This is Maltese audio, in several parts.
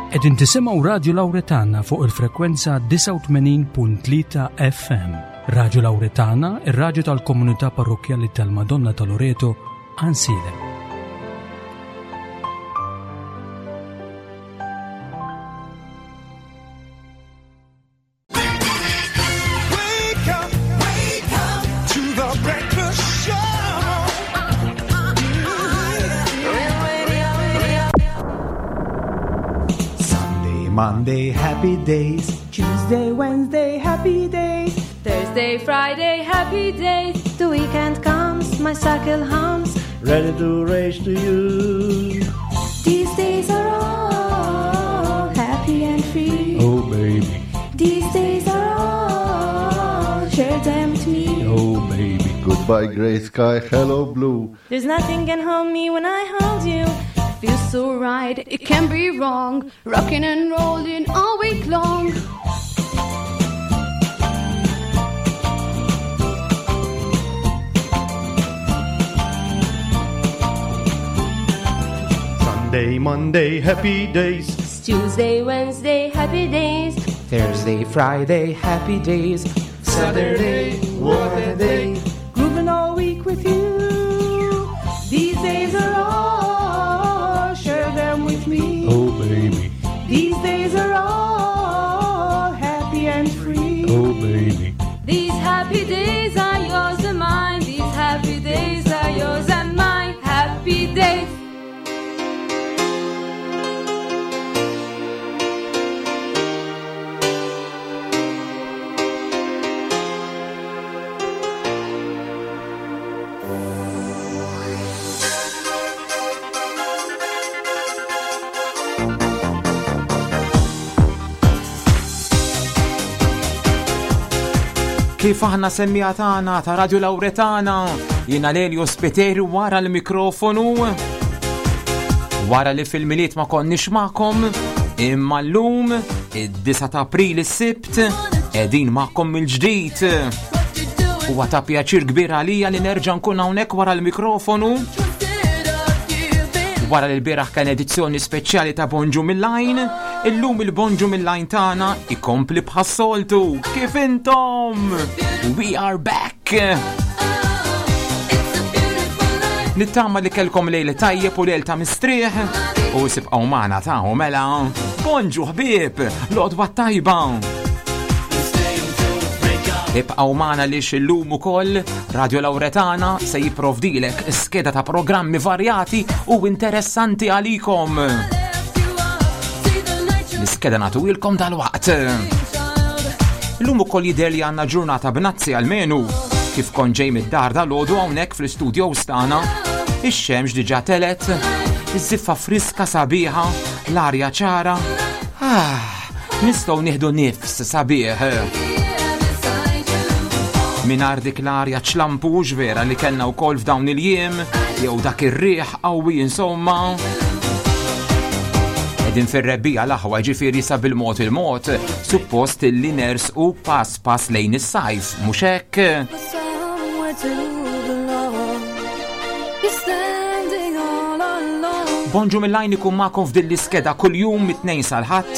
Qegħdin tisimgħu Radju Lawretana fuq il-frekwenza 89.3 FM. Radju Lawretana, ir-radju tal-komunità parrokkjali tal-Madonna ta' Loreto, Għansielem. Sunday, Monday, happy days. Tuesday, Wednesday, happy days. Thursday, Friday, happy days. The weekend comes, my cycle hums. Ready to race to you. These days are all happy and free. Oh, baby. These days are all, share them with me. Oh, baby. Goodbye, gray sky. Hello, blue. There's nothing can hold me when I hold you. Feels so right, it can't be wrong. Rocking and rolling all week long. Sunday, Monday, happy days. Tuesday, Wednesday, happy days. Thursday, Friday, happy days. Saturday, what a day. Grooving all week with you. These days are all, share them with me. Oh, baby. These days are all happy and free. Oh, baby. These happy days are yours and mine. These happy days are yours and mine. Happy days. Kif aħna semmija tagħna ta' Radio Lawretana, jiena Lelio Spiteri wara l-mikrofonu. Wara li fil-miliet ma konniex magħkom, imma llum id-9 ta' April is-Sibt qegħdin magħkom mill-ġdid. Huwa ta' pjaċir kbir għalija li nerġa' nkun hawnhekk wara l-mikrofonu. Wara li l-bieraħ kien edizzjoni speċjali ta' Bonġu mill-Lajn, illum il-Bonġu mill-Lajn tagħna ikompli bħas-soltu. Kif intom? We are back! Nittama li kellkom lejl tajjeb u lejl ta' mistrieħ u sibqgħu magħna ta' mela. Bonġu ħbieb, l-għodwa tajba! Ibqgħu magħna li illum ukoll Radio Lawretana se jipprovdilek skeda ta' programmi varjati u interessanti għalikom. L-iskeda nagħtuilkom dal-waqt. Illum ukoll jidher li għandna ġurnata b'nazzi għalmenu kif kont ġej mid-dar dal-għodu hawnhekk fl-istudio tagħna. Ix-xemx diġà telet, iż-żiffa friska sabiħa, l-arja ċara. Ah, nistgħu nieħdu nifs sabiħ. Minar dik l-arja ċlampux vera li kellna wkoll f'dawn il-jiem, jew dak ir-riħ qawwi insomma. Qegħdin fir-rebbija l-aħwa ġifieri sa bil-mod il-mod, suppost illi nersqu pass pass lejn is-sajf, mhux hekk? Somewhere to belong. You're standing all alone. Bonġu mill-lajn ikun magħkom f'din l-iskeda kuljum mit-tnejn sal-ħadd,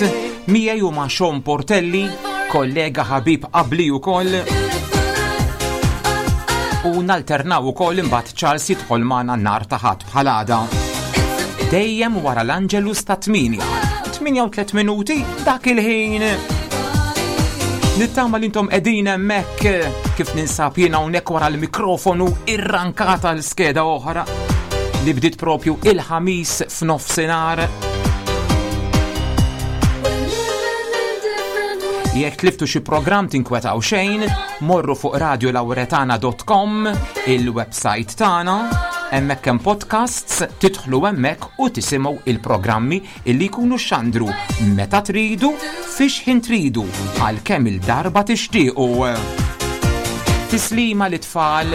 miegħi u ma' Sean Portelli, kollega ħabib qabli wkoll. U nalternaw ukoll imbagħad Charles jidħol magħna nhar ta' ħadd bħal għada. Dejjem wara l-Angelus ta' 8. 8 u 3 minuti dak il-ħin. Nittama li intom qegħdin hemmhekk kif ninsab jien hawnhekk wara l-mikrofonu irrankata l-skeda oħra li bdiet propju il-ħamis f'nofsinhar. Jekk tliftu xi programm tinkwetaw xejn, morru fuq radiolawretana.com, il-website tagħna, hemmhekk hemm podcasts, tidħlu hemmhekk u tisimgħu il-programmi illi jkunu xandru meta tridu, fix ħin tridu, għal kemm il-darba tixtiequ. Tislima li tfal,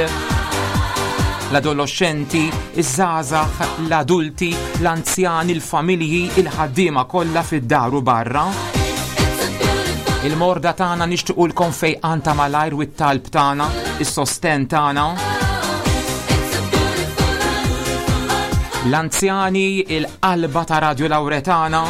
l-adolescenti, iż-żgħażagħ, l-adulti, l-anzjani, il-familji, il-ħaddiema kollha fid-dar u barra. Il-morda tagħna nixtiequlkom fejqan ta' malajr u t-talb tagħna, is-sosten tagħna. L-anzjani, il-qalba ta' Radio Lawretana.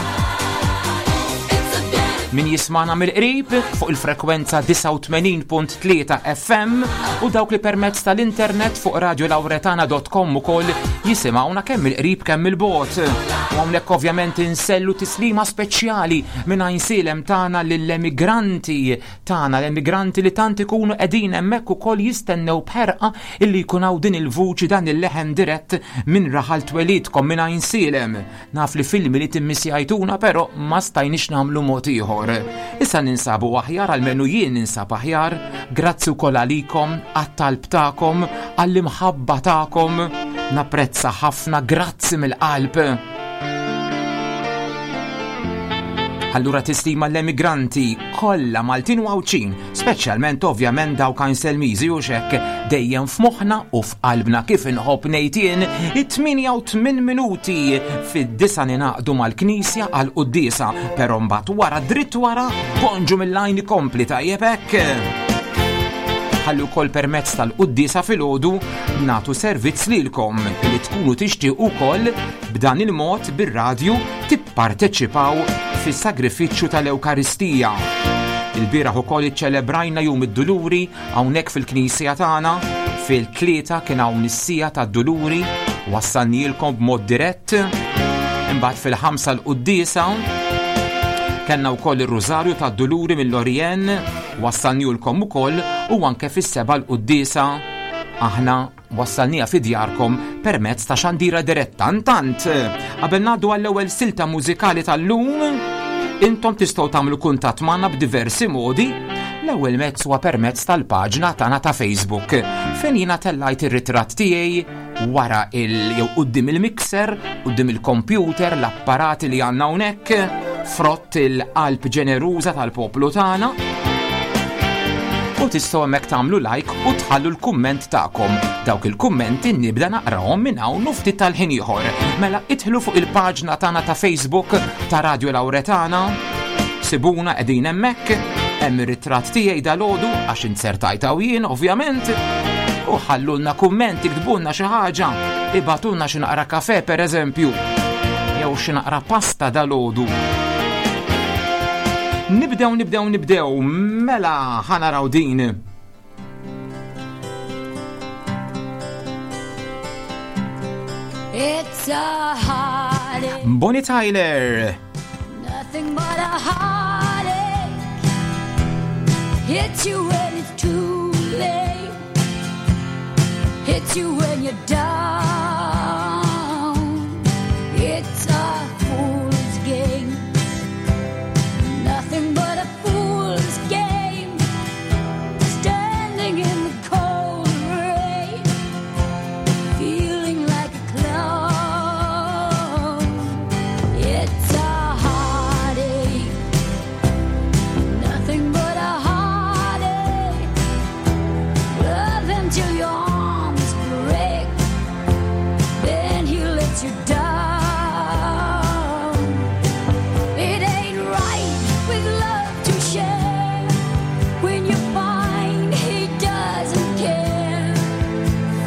Min jismana mill-qrib fuq il-frekwenza 89.3 FM u dawk li permezz tal-internet fuq radiolauretana.com ukoll jisimgħuna kemm il-qrib kemm il-bot. U hawnhekk ovvjament insellu tislima speċjali minn Għajnsielem tagħna lill-emigranti tagħna, l-emigranti li tant ikunu qegħdin hemmhekk ukoll jistennew b'ħerqa illi jkun hawn din il-vuċi dan il-leħen dirett minn raħal twelidkom minn Għajnsielem. Naf li filmi li timmisjajtuna però ma stajniex nagħmlu mod ieħor. Issa ninsabu aħjar almenu jien ninsab aħjar, grazzi wkoll għalikom, għat-talb tagħkom, għall-imħabba tagħkom. Napprezza ħafna, grazzi mill-qalb. Allura tislima l-emigranti kollha Maltin u Għawdxin, speċjalment ovvjament dawk Għajnselmiżi u xekk dejjem f'moħħna u f'qalbna kif inħobb ngħid jien, it-8 u 8 minuti fid-disa ninaqdu mal-knisja għal quddiesa, però mbagħad wara dritt wara bonġu mill-għajn ikompli tajjeb hekk. Ħalli wkoll permezz tal-quddiesa filgħodu nagħtu servizz lilkom li tkunu tixtiequ wkoll b'dan il-mod bir-radju tipparteċipaw fis-sagrifiċċju tal-Ewkaristija. Il-bieraħ ukoll iċċelebrajna Jum id-Duluri hawnhekk fil-knisja tagħna. Fil-tlieta kien hawn is-sija tad-Duluri, wassalnielkom b'mod dirett. Imbagħad fil-ħamsa l-quddiesa kellna wkoll ir-Rużarju tad-Duluri mill-Orjen, wassalnielkom ukoll u anke fis-seba' l-quddiesa aħna Wassalniha fi djarkom permezz ta' xandira diretta. Intant, qabel ngħaddu għall-ewwel silta mużikali tal-lum, intom tistgħu tagħmlu kuntatt magħna b'diversi modi. L-ewwel mezz huwa permezz tal-paġna tagħna ta' Facebook, fejn jiena tellajt ir-ritratt tiegħi wara il jew quddiem il-mixer, quddiem il-computer, l-apparati li għandna hawnhekk, frott il-qalb ġeneruża tal-poplu tagħna. U tistgħu hemmhekk tagħmlu like u tħallu l-kumment tagħkom. Dawk il-kummenti nibda naqrahom minn hawn u ftit tal-ħin ieħor. Mela idħlu fuq il-paġna tagħna ta' Facebook ta' Radio Lauretana, sibuna qegħdin hemmhekk, hemm ir-ritratt tiegħi dalgħodu għax inzertajt hawn jien ovvjament. U ħallulna kumment, iktbulna xi ħaġa, ibatulna xi naqra kafe pereżempju, jew xi naqra pasta dalgħodu. Nibdew, nibdew, nibdew, mela ħanaraw din. It's a heartache. Bonnie Tyler. Nothing but a heartache. Hits you when it's too late. Hits you when you're down. It's a fool's game. Nothing but a fool's game. Standing in the cold rain, feeling like a clown. It's a heartache. Nothing but a heartache. Love him till your arms break. Then he lets you down. It ain't right with love to share when you find he doesn't care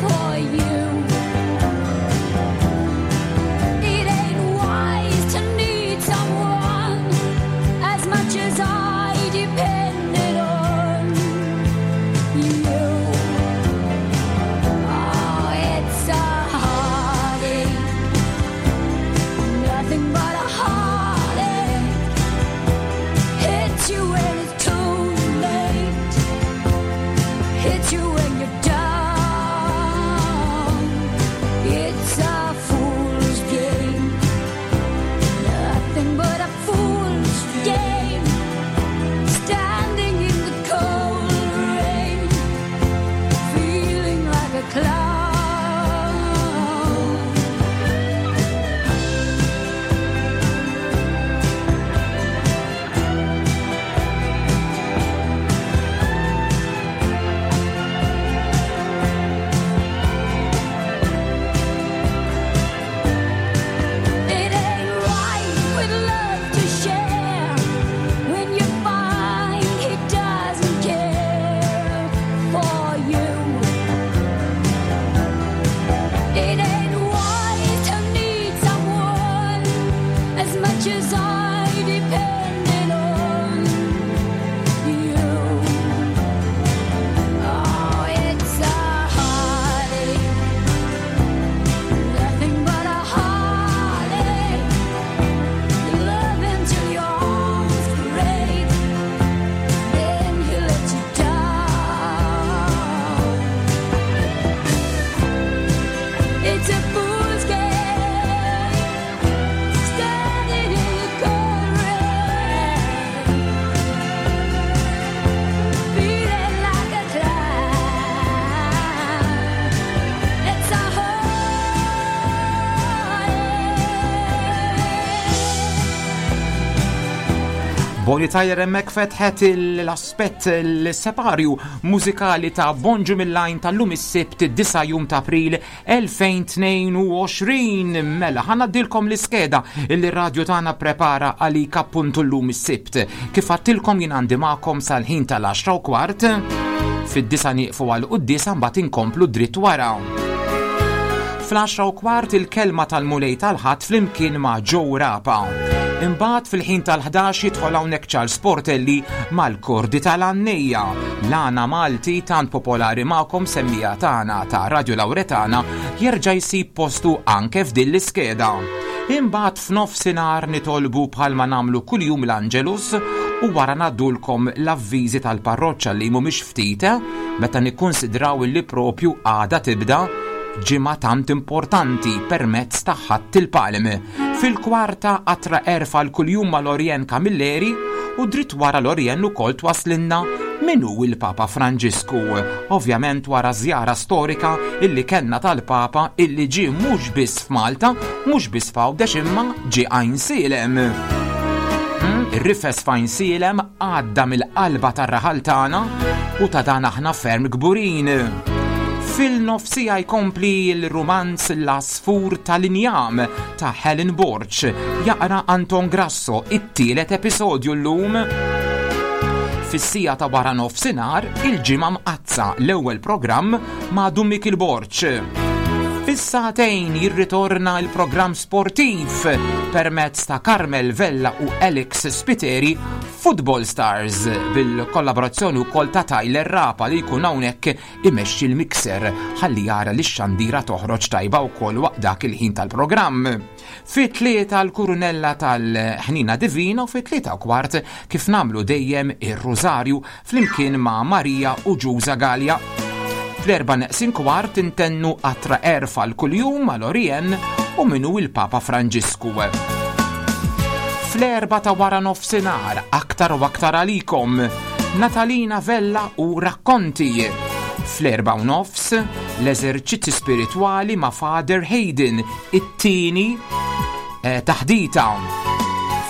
for you. It ain't wise to need someone as much as I depended on you. Oh, it's a heartache, nothing but a heartache. Hits you when it's too late. Hits you when you're down. It's a fool's game, nothing but a fool's game. Standing in the cold rain, feeling like a clown. Bonnie Tyler hemmhekk fetħet l-aspett l-separju mużikali ta' Bonġu mill-Għajn tal-lum is-Sibt 9 jum ta' April 2022. Mela, ħa ngħaddilkom l-iskeda illi r-radju tagħna prepara għalik appuntu llum is-Sibt. Kif għattilkom jien għandi magħkom sal-ħin tal-10 u kwart, fid-disa nieqfu għal quddiesa mbagħad inkomplu dritt wara. Fl-10 u kwart il-kelma tal-Mulej tal-Ħadd flimkien ma' Joe Rapa. Imbagħad fil-ħin tal-11 jidħol hawnhekk Charles Portelli mal-Kordi tal-Għannejja, l-għana Malti tant popolari magħkom semmija tagħna ta' Radio Lauretana jerġa' jsib postu anke f'din l-iskeda. Imbagħad f'nofsinhar nitolbu bħalma nagħmlu kuljum l-Angelus u wara ngħaddulkom l-avviżi tal-parroċċa li mhumiex ftit meta nikkunsidraw illi propju għada tibda ġimgħa tant importanti permezz ta' Ħadd il-Palm. Fil-kwarta qatra għerf għal kuljum ma' Lorien Camilleri u dritt wara Lorien ukoll twaslinna min hu il-Papa Franġisku. Ovvjament wara żjara storika illi kellna tal-Papa illi ġie mhux biss f'Malta, mhux biss f'Għawdex imma ġie Għajnsielem. Hmm, ir-rifes f'Għajnsielem għadda mill-qalba tar-raħal tagħna u ta' dan aħna ferm kburin. Fil-nofsija jkompli l-rumanz L-Għasfur tal-Injam ta' Helen Borg, jaqra Anton Grasso it-tielet episodju llum. Fis-sija ta' wara nofsinhar il-Ġimgħa Mqaddsa l-ewwel programm ma' Dun Mikiel Borg. Fis-sagħtejn jirritorna l-programm sportiv permezz ta' Carmel Vella u Alex Spiteri Football Stars bil-kollaborazzjoni wkoll ta' Tyler Rapa li jkun hawnhekk imexxi l-mixer ħalli jara li x-xandira toħroġ tajba wkoll waqt dak il-ħin tal-programm. Fit-tlieta l-kurunella tal-Ħnina Divina u fit-tlieta u kwart kif nagħmlu dejjem ir-Rużarju flimkien ma' Marija u Ġuża Galea. Fl-erba' neqsin kwart intennu qatra għerf għal kuljum ma' Lorien u min hu il-Papa Franġisku. Fl-erba' ta' wara nofsinhar aktar u aktar għalikom Natalina Vella u Rakkonti. Fl-erba' u nofs l-eżerċizzi spiritwali ma' Father Hayden, it-tieni eh, taħdita.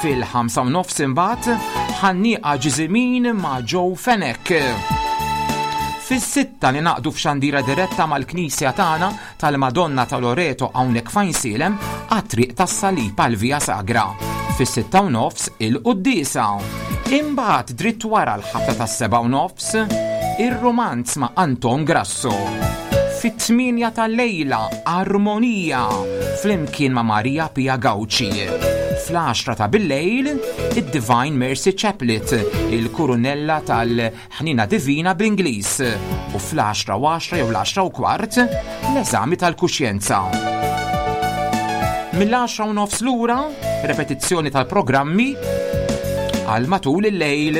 Fil-5 u nofs imbagħad ħannieqa ġiżimin ma' Joe Fenech. Fis-sitta ninaqdu f'xandira diretta mal-Knisja tagħna tal-Madonna ta' Loreto hawnhekk f'Għajnsielem għat-Triq tas-Salib għal Via Sagra. Fis-sitta u nofs il-quddiesa. Imbagħad dritt wara l-ħabta tas-seba' u nofs ir-rumanz ma' Anton Grasso. Fit-tmienja tal-lejla Armonija flimkien ma' Maria Pia Gauci. Fl-għaxra ta' billejl id-Divine Mercy Chaplet, il-kurunella tal-Ħnina Divina bl-Ingliż u fl-għaxra u għaxra jew l-għaxra u kwart l-eżami tal-kuxjenza. Mill-għaxra u nofs lura, repetizzjoni tal-programmi għal matul il-lejl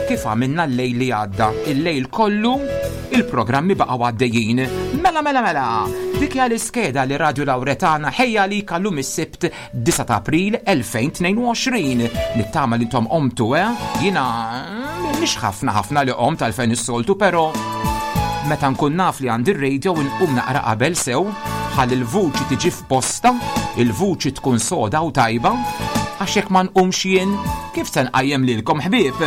kif għamilna l-lejl li għadda. Il-lejl kollu il-programmi baqgħu għaddejjin. Mela mela mela, dik hija l-iskeda li Radio Lauretana ħejja li kallum is-Sibt 9 ta' April 2022. Nittama li intom qomtu, eh? Jiena mm, mhix ħafna ħafna li qomt għalfejn is-soltu, però meta nkun naf li għandi r-radio nqum naqra qabel sew ħalli l-vuċi tiġi f'posta, il-vuċi tkun soda u tajba, għax jekk ma nqumx jien, kif se nqajjem lilkom ħbieb?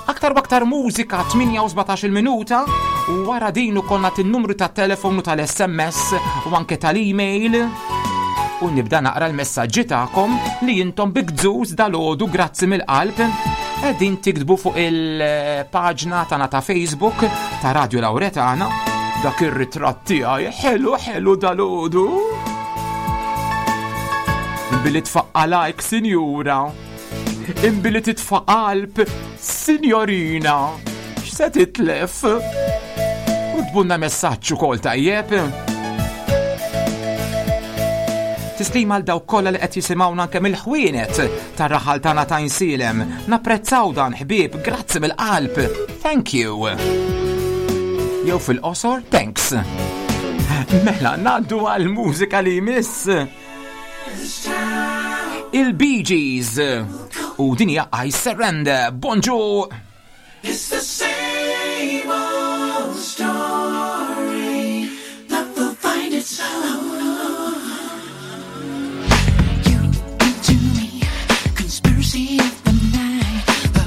Aktar u aktar mużika 8 u minuta u wara din ukoll nagħti n-numru tat-telefon u tal-SMS u anke tal-email u nibda naqra l-messaġġi tagħkom li intom bi gżuż dal-għodu grazzi mill-qalb qegħdin tiktbu fuq il-paġna tagħna ta' Facebook ta' Radio Lauretana dak ir-ritratt tiegħi ħelu ħelu dal-għodu. Billi tfaqqa like, sinjura. Imbilli titfa' qalb, sinjorina. X'se titlef? U tbunna messaġġ ukoll tajjeb. Tislima għal dawk kollha li qed jisimgħuna anke mill-ħwienet tar-raħal tagħna ta' Insielem. Napprezzaw dan ħbieb, grazzi mill-qalb. Thank you. Jew fil-qosor, thanks. Mela, ngħaddu għall-mużika li jmiss. Il-Bee Gees u din hija I Surrender. Bonġu! It's the same old story. Love will find its own. You into me, conspiracy of the night. The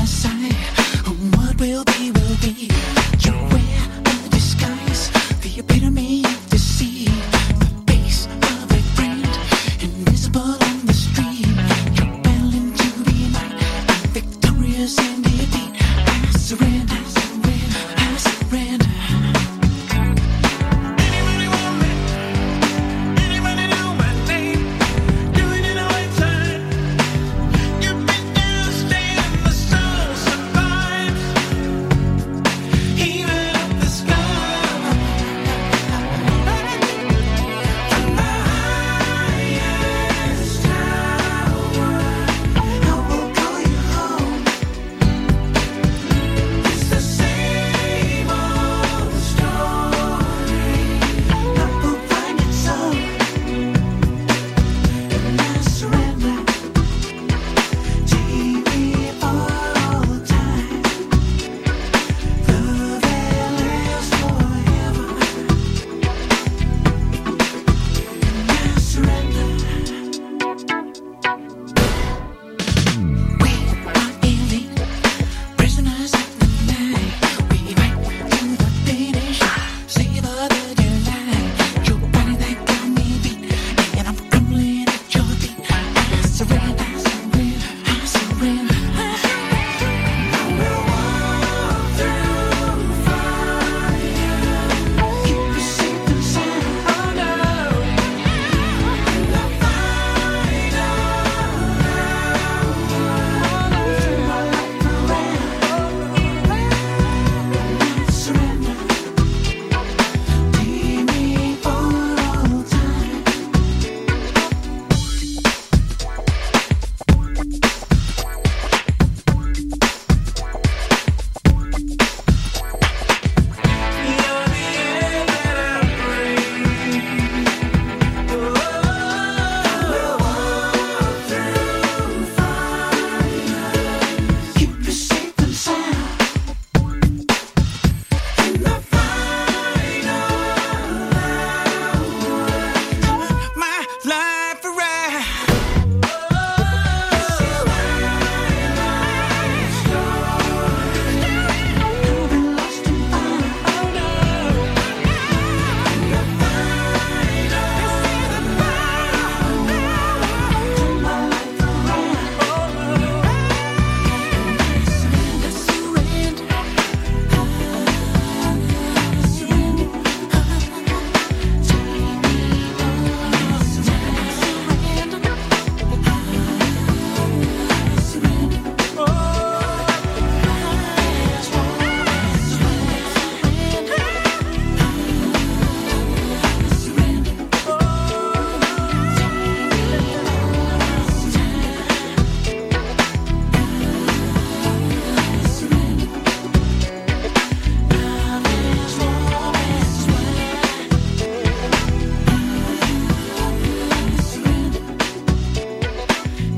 sigh. What will be, will be. You wear a disguise, the epitome of deceit. The face of a friend, invisible on the street. You're battling to be mine, I'm victorious in defeat. I surrender, I surrender. Anybody want me? Anybody know my name? Doing it all the time. You've been downstairs, my soul survives. Even up the sky. From the highest tower, I will call you home. It's the same old story. Love will find its own. And I surrender. Take me for all time. Love that lasts forever. And I surrender. We are elite, prisoners of the night. We fight to the finish, savor the delight. Your body that got me beat, and I'm crumbling at your feet. I surrender, I surrender. I will walk through fire. Keep you safe and sound. Oh no, in the final Turn my life around. And I surrender. Take me for all time. You're the air that I breathe. Oh, we'll walk through fire. Keep you safe and sound. In the final hour, my life around. This is my life story. I've been lost and found. Oh no, in the final, this is the final Turn my life around. Surrender, surrender, surrender. Take me on, surrender, surrender, surrender.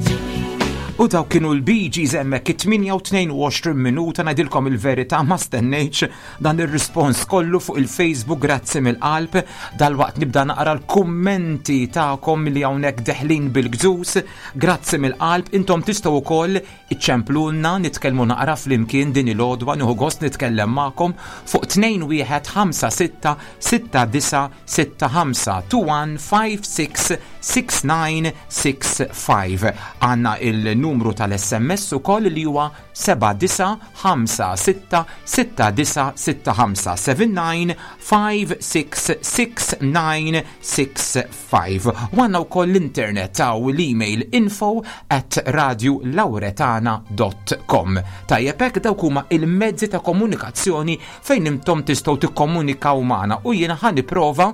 Surrender, U daw kienu l-Bee Gees hemmhekk it-8 u 22 minuta. Ngħidilkom il-verità, ma stennejtx dan ir-rispons kollu fuq il-Facebook, grazzi mill-qalb. Dalwaqt nibda naqra l-kummenti tagħkom li hawnhekk deħlin bil-gżus. Grazzi mill-qalb, intom tistgħu wkoll iċċemplulna, nitkellmu naqra flimkien din il-għodwa, nieħu gost nitkellem magħkom fuq 2156 6965 2156 6965. Għandna il-numru tal-SMS ukoll li huwa 7956 6965 79566965. U għandna wkoll l-internet taw l-email info@radiolauretana.com. Tajjeb hekk, dawk huma il-mezzi ta' komunikazzjoni fejn intom tistgħu tikkomunikaw magħna u jiena ħa nipprova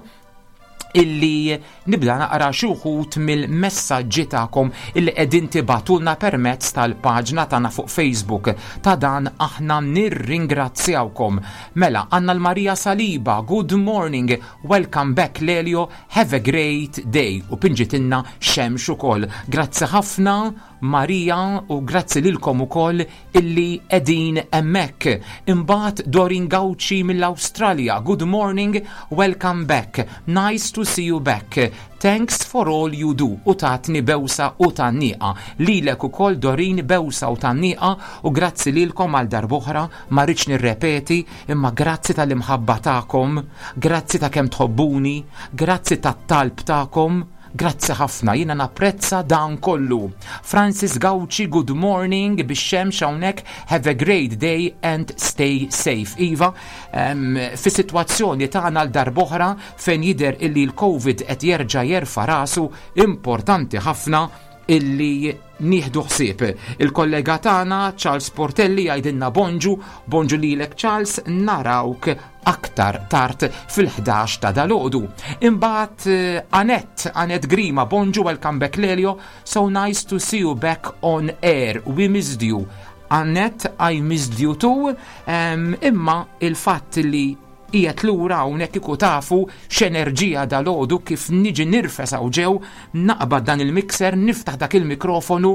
illi nibda naqra xi wħud mill-messaġġi tagħkom illi qegħdin tibagħtulna permezz tal-paġna tagħna fuq Facebook. Ta' dan aħna nirringrazzjawkom. Mela, għandna l-Marija Saliba, "Good morning, welcome back Lelio, have a great day." U pinġitilna xemx ukoll. Grazzi ħafna. Marija u grazzi lilkom ukoll illi qegħdin hemmhekk. Imbagħad Dorin Gauci mill-Awstralja, good morning, welcome back. Nice to see you back. Thanks for all you do. U tatni bewsa u tgħanniqa. Lilek ukoll Dorin bewsa u tgħanniqa u grazzi lilkom għal darb'oħra, ma rridx nirrepeti, imma grazzi tal-imħabba tagħkom, grazzi ta' kemm tħobbuni, grazzi tat-talb tagħkom. Grazzi ħafna, jiena napprezza dan kollu. Francis Gauci, good morning, bix-xemx hawnhekk, have a great day and stay safe. Iva, fi sitwazzjoni tagħna l darb'oħra fejn jidher illi l-Covid qed jerġa' jerfa' rasu, importanti ħafna illi nieħdu ħsieb. Il-kollega tagħna Charles Portelli jgħidilna bonġu, bonġu lilek Charles, narawk aktar tard fil-11 ta' dalgħodu. Imbagħad Annette, Annette Grima, bonġu, welcome back Lelio, so nice to see you back on air, we missed you. Annette, I missed you too, imma il-fatt li qiegħed lura hawnhekk kieku tafu x'enerġija dalgħodu kif niġi nirfes hawn ġew, naqbad dan il-mixer, niftaħ dak il-mikrofonu,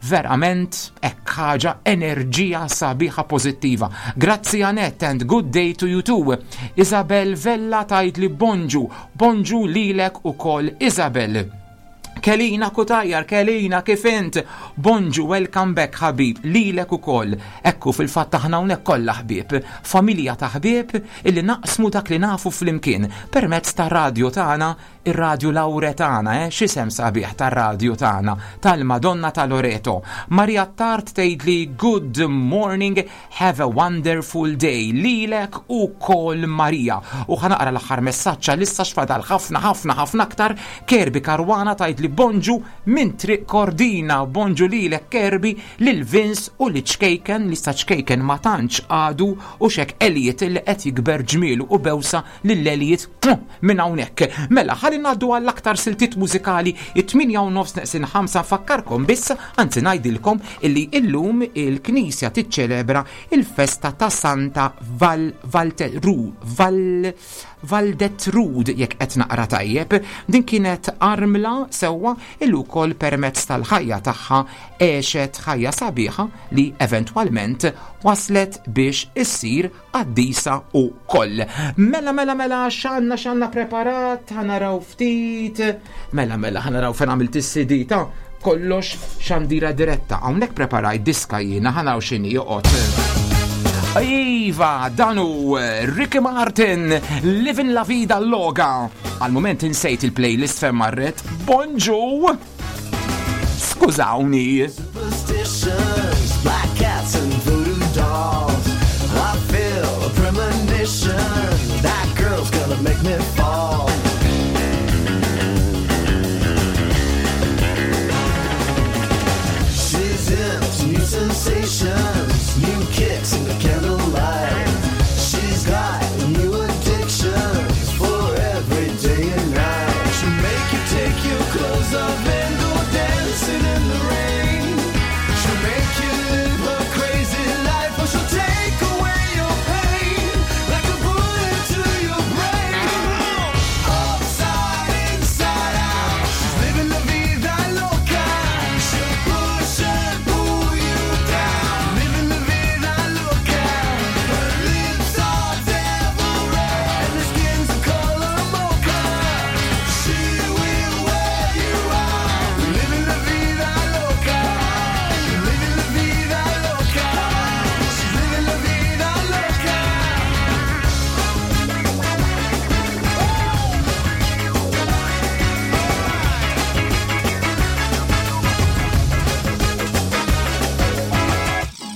verament hekk ħaġa enerġija sabiħa pożittiva. Grazzi Annette and good day to you too. Isabel Vella tgħid li bonġu, bonġu lilek ukoll Isabel. Kelina Kutajar, Kelina kif int? Bonġu, welcome back ħabib, lilek ukoll. Ekku fil-fatt aħna hawnhekk kollha ħbieb, familja ta' ħbieb illi naqsmu dak li nafu flimkien permezz tar-radju tagħna, ir-radju Lauretana, x'isem sabiħ tar-radju tagħna, tal-Madonna ta' Loreto. Maria Tart tgħidli good morning, have a wonderful day, lilek ukoll Maria. U ħa naqra l-aħħar messaġġ għalissa x'fadal ħafna ħafna ħafna aktar. Kerby Caruana tgħidli bonġu minn Triq Kordina, bonġu lilek Kerby, lil Vince u li ċkejken, li sta ċkejken ma tantx għadu u xek Elliot li qed jikber ġmielu u bewsa lil Elliot minn hawnhekk. Mela, ħalli ngħaddu għall-aktar siltiet mużikali it-tmienja u nofs neqsin ħamsa. Nfakkarkom biss, anzi ngħidilkom illi illum il-Knisja tiċċelebra il-festa ta' Santa Val, Valteru, Val, Valdetrud, jekk qed naqra tajjeb. Din kienet armla sewwa illi wkoll permezz tal-ħajja tagħha għexet ħajja sabiħa li eventwalment waslet biex issir qaddisa u koll. Mela, mela, mela, x'għandna, x'għandna preparat, ħa naraw ftit. Mela, mela, ħa naraw fejn għamilt is-CD ta' kollox xandira diretta. Hawnhekk preparajt diska jiena, ħa naraw x'inhi joqgħod. Iva, dan hu Ricky Martin, Livin' la Vida Loca. Għal moment insejt il-playlist fejn marret. Bonġu! Skużawni. Superstitions, black cats and voodoo dolls. I feel a premonition that girl's gonna make me fall. She's into new sensations, new kicks in the candlelight. She's got new addictions for every day and night. She'll make you take your clothes off and go dancing in the rain. She'll make you live a crazy life, or she'll take away your pain like a bullet to your brain. Upside, inside out, she's living la vida loca. She'll push and pull you down, living la vida loca. Her lips are devil red and her skin's the color mocha. She will wear you out, living la vida loca. Living la vida loca. She's living la vida loca.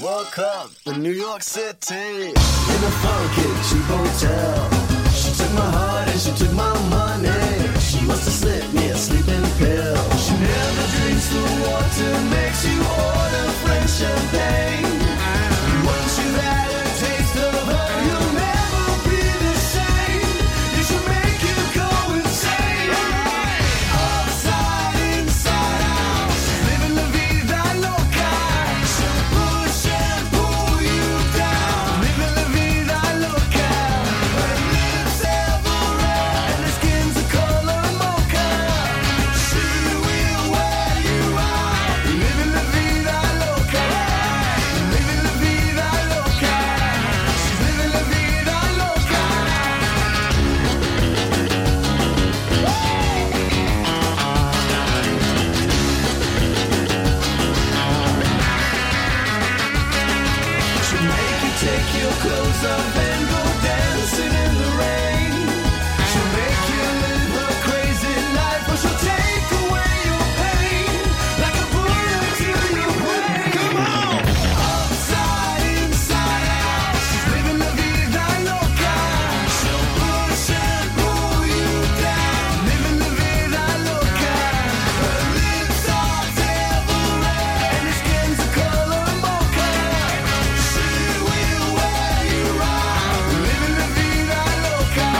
Woke up in New York City in a funky cheap hotel. She took my heart and she took my money. She must have slipped me a sleeping pill. She never drinks the water, makes you order French champagne. Once you've had a taste of her, you'll never be the same. It should make you go insane. Upside, inside out, she's living la vida loca. She'll push and pull you down, living la vida loca. Her lips ever red and her skin's the color mocha. She will wear you out, living la vida. Take your clothes off and go dancing in the rain. She'll make you live a crazy life, or she'll take away your pain like a bullet to your brain. Come on! Upside, inside out, she's living la vida loca. She'll push and pull you down, living la vida loca. Her lips are devil red and her skin's a color mocha. She will wear you out, living la vida loca.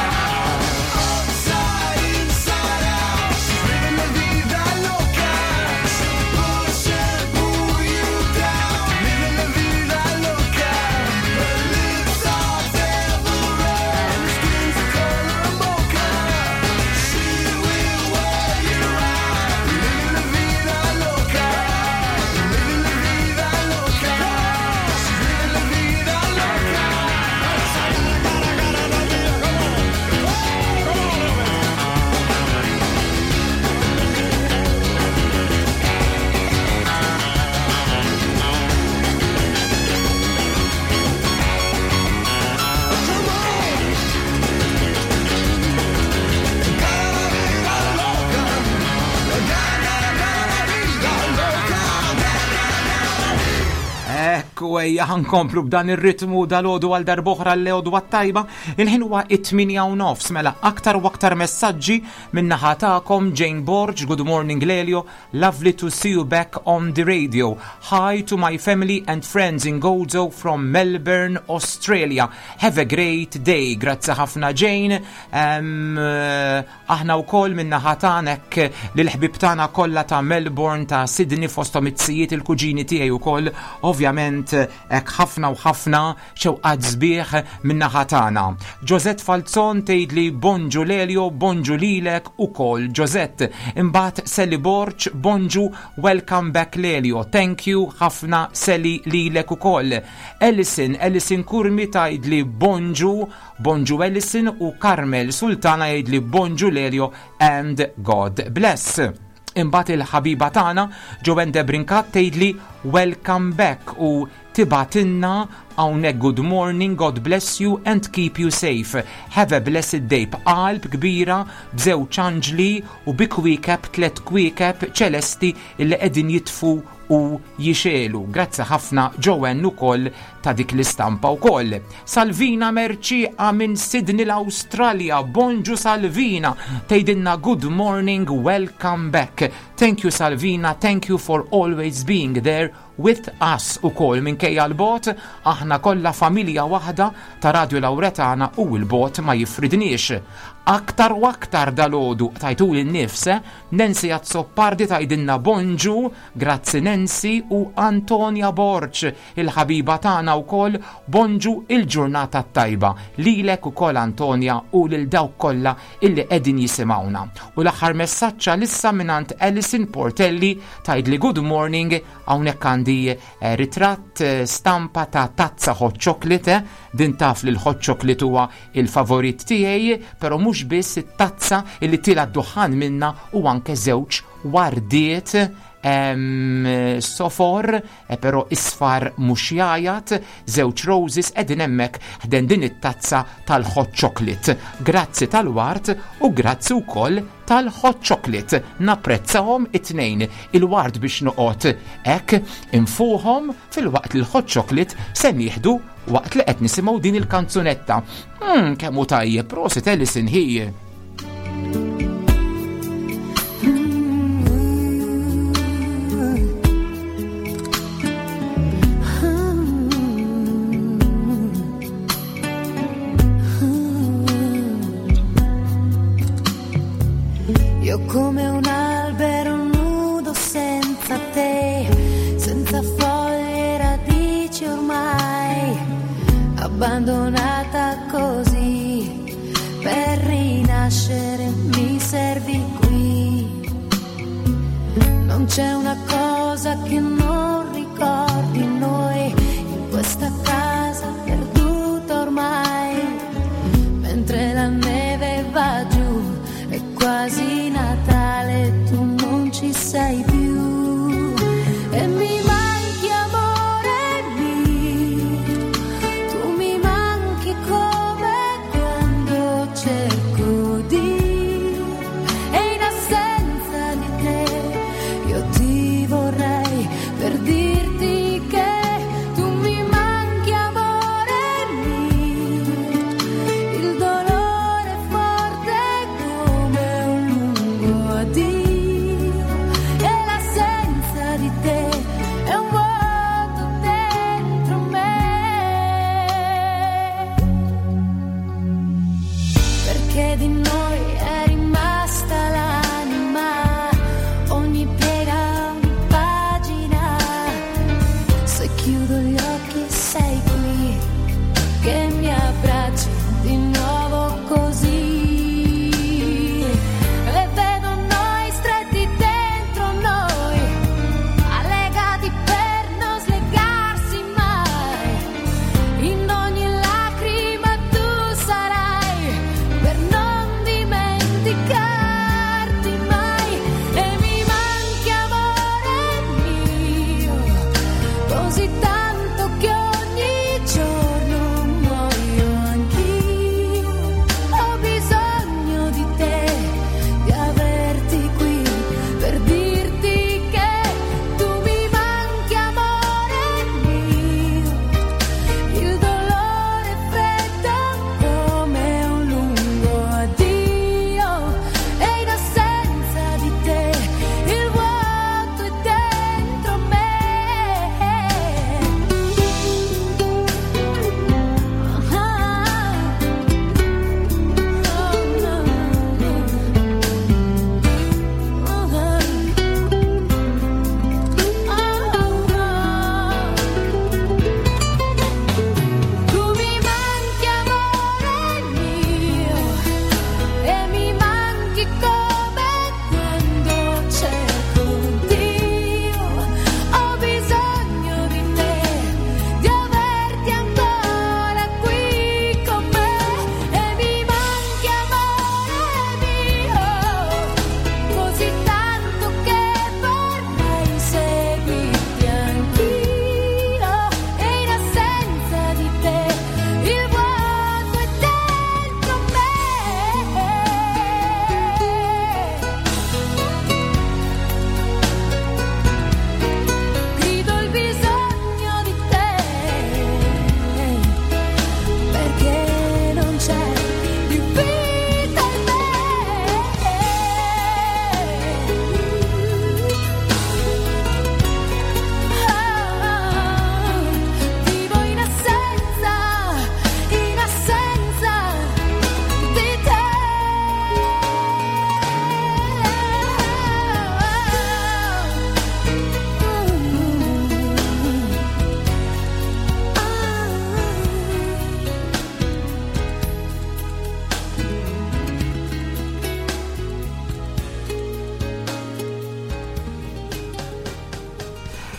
Upside, inside out, she's living la vida loca. She'll push and pull you down, living la vida loca. Her lips are devil red and her skin's a color mocha. She will wear you out, living la vida loca. Living la vida loca. She's living la vida loca. Ekku ejja ħankomplu b'dan ir-ritmu dal-għodu għal darb'oħra l-għodu għat-tajba. Il-ħin huwa it-8 u nofs mela aktar u aktar messaġġi min-naħa tagħkom. Jane Borg, good morning Lelio, lovely to see you back on the radio. Hi to my family and friends in Gozo from Melbourne, Australia. Have a great day. Grazzi ħafna Jane. Aħna wkoll min-naħa tagħnek lill-ħbieb tagħna kollha ta' Melbourne, ta' Sydney, fosthom it-sijiet, il-kuġini tiegħi wkoll, ovvjament hekk ħafna u ħafna xewqat sbieħ min-naħa tagħna. Josette Falzon tgħidli bonġu Lelio, bonġu lilek ukoll Josette. Imbagħad Sally Borg, bonġu, welcome back Lelio. Thank you ħafna Sally lilek ukoll. Ellison, Ellison Kurmi tgħidli bonġu, bonġu Ellison, u Carmel Sultana jgħidli bonġu Lelio and God bless. Imbagħad il-ħabiba tagħna Joanne Debrincat tgħidli welcome back u tibgħatilna hawnhekk good morning, God bless you and keep you safe. Have a blessed day, b'qalb kbira, b'żewġ anġli u bi kwiekeb, tlet kwiekeb ċelesti illi qegħdin jitfu u jixegħlu. Grazzi ħafna Joanne ukoll ta' dik l-istampa wkoll. Salvina Merċiqa minn Sydney l-Awstralja. Bonġu Salvina, tgħidilna good morning, welcome back. Thank you Salvina, thank you for always being there with us ukoll minkejja l-bogħod, aħna kollha familja waħda ta' Radio Lauretana u l-bogħod ma jifridniex. Aktar u aktar dalgħodu tajtu l-nifs, eh? Nancy Azzopardi tgħidilna bonġu, grazzi Nancy, u Antonia Borg, il-ħabiba tagħna wkoll, bonġu, il-ġurnata tajba. Lilek ukoll Antonia u lil dawk kollha illi qegħdin jisimgħuna. U l-aħħar messaġġ lissa mingħand Alison Portelli tgħidli good morning, hawnhekk għandi ritratt stampa ta' tazza hot chocolate, din taf li l-hot chocolate huwa il-favorit tiegħi, però mhux biss it-tazza illi tila d-duħan minna u anke żewġ wardiet sofor, però isfar mhux jajat, żewġ roses qegħdin hemmhekk ħdejn din it-tazza tal-hot chocolate. Grazzi tal-ward u grazzi wkoll tal-hot chocolate. Napprezzahom it-tnejn. Il-ward biex noqgħod hekk infuħhom filwaqt li l-hot chocolate se nieħdu waqt li qed nisimgħu din il-kanzunetta. Kemm hu tajjeb, prosit Alison hi. Io come un albero nudo senza te, senza foglie e radici ormai, abbandonata così, per rinascere mi servi qui. Non c'è una cosa che non ricordi noi, in questa casa perduta ormai, mentre la neve va giù, è quasi Natale, tu non ci sei più. E mi manchi amore mio, tu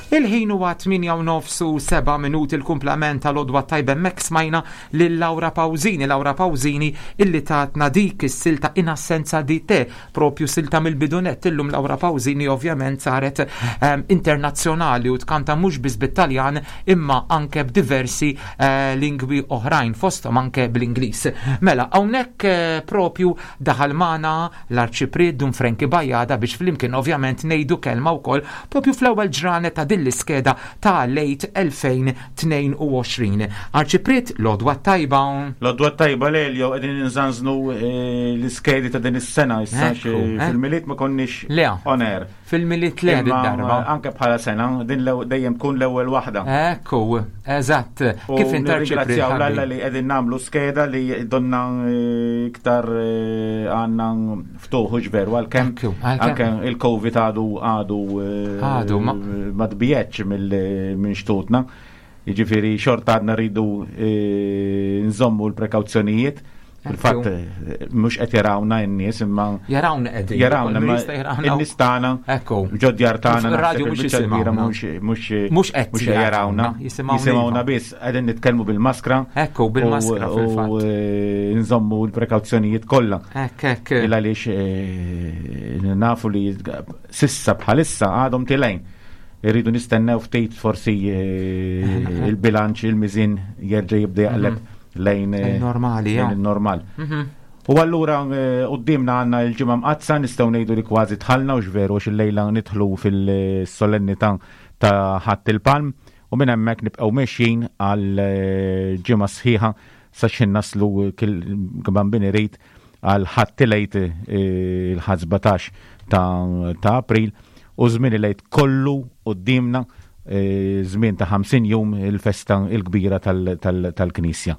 Il-ħin huwa 8 u nofs u 7 minuti l-kumplament tal-għodwa tajba hemmhekk smajna lil Laura Pausini, Laura Pausini illi tatna dik is-silta in assenza di te, propju silta mill-bidunett illum Laura Pausini ovvjament saret um, internazzjonali u tkanta mhux biss bit-Taljan imma anke b'diversi uh, lingwi oħrajn fosthom anke bl-Ingliż. Mela hawnhekk uh, propju daħal magħna l-Arċipriet Dun Frankie Bajada biex flimkien ovvjament ngħidu kelma wkoll propju fl-ewwel ġranet ta' din l-iskeda ta' lejt 2022. Arċipriet, l-għodwa t-tajba. L-għodwa t-tajba Lelio, qegħdin inżanżnu eh, l-iskedi ta' din is-sena issa fil-Milied ma konniex on air. Fil-Milied le darba. Anke bħala sena, din dejjem tkun l-ewwel waħda. Ekku, eżatt. Kif inti Arċipriet? Alla li qegħdin nagħmlu skeda li donna eh, iktar eh, għandna ftuħ veru għalkemm anke il-Covid għadu għadu eh, għadu ma tbijetx minn xtutna. Jiġifieri xorta għadna rridu eh, nżommu l-prekawzjonijiet. Fil-fatt eh, mhux qed jarawna n-nies imma jarawna qegħdin. Jarawna imma in-nies tagħna. Ekku. Ġodjar tagħna. Radio mhux jisimgħuna. Mhux mhux qed jarawna. Jisimgħuna biss qegħdin nitkellmu bil-maskra. Ekku bil-maskra fil-fatt. U eh, nżommu l-prekawzjonijiet kollha. Ekk ekk. Il għaliex eh, nafu li sissa bħalissa għadhom tilejn. Irridu nistennew ftit forsi eh, il-bilanċ, il-miżin jerġa' jibda jaqleb mhm. lejn eh, normali, lejn il-normal. Mhm. U allura qudiemna għandna l-ġimgħa mqaddsa nistgħu ngħidu li kważi tħallna u x'veru għax illejla nidħlu fil-solennità ta' Ħadd il-Palm u minn hemmhekk nibqgħu mexjin għal ġimgħa sħiħa sa x'ħin naslu bambin irid għal Ħadd il-Għid il-Ħadd 17 ta' April u żmien il-Għid kollu quddiemna żmien ta' 50 jum il-festa l-kbira tal-Knisja.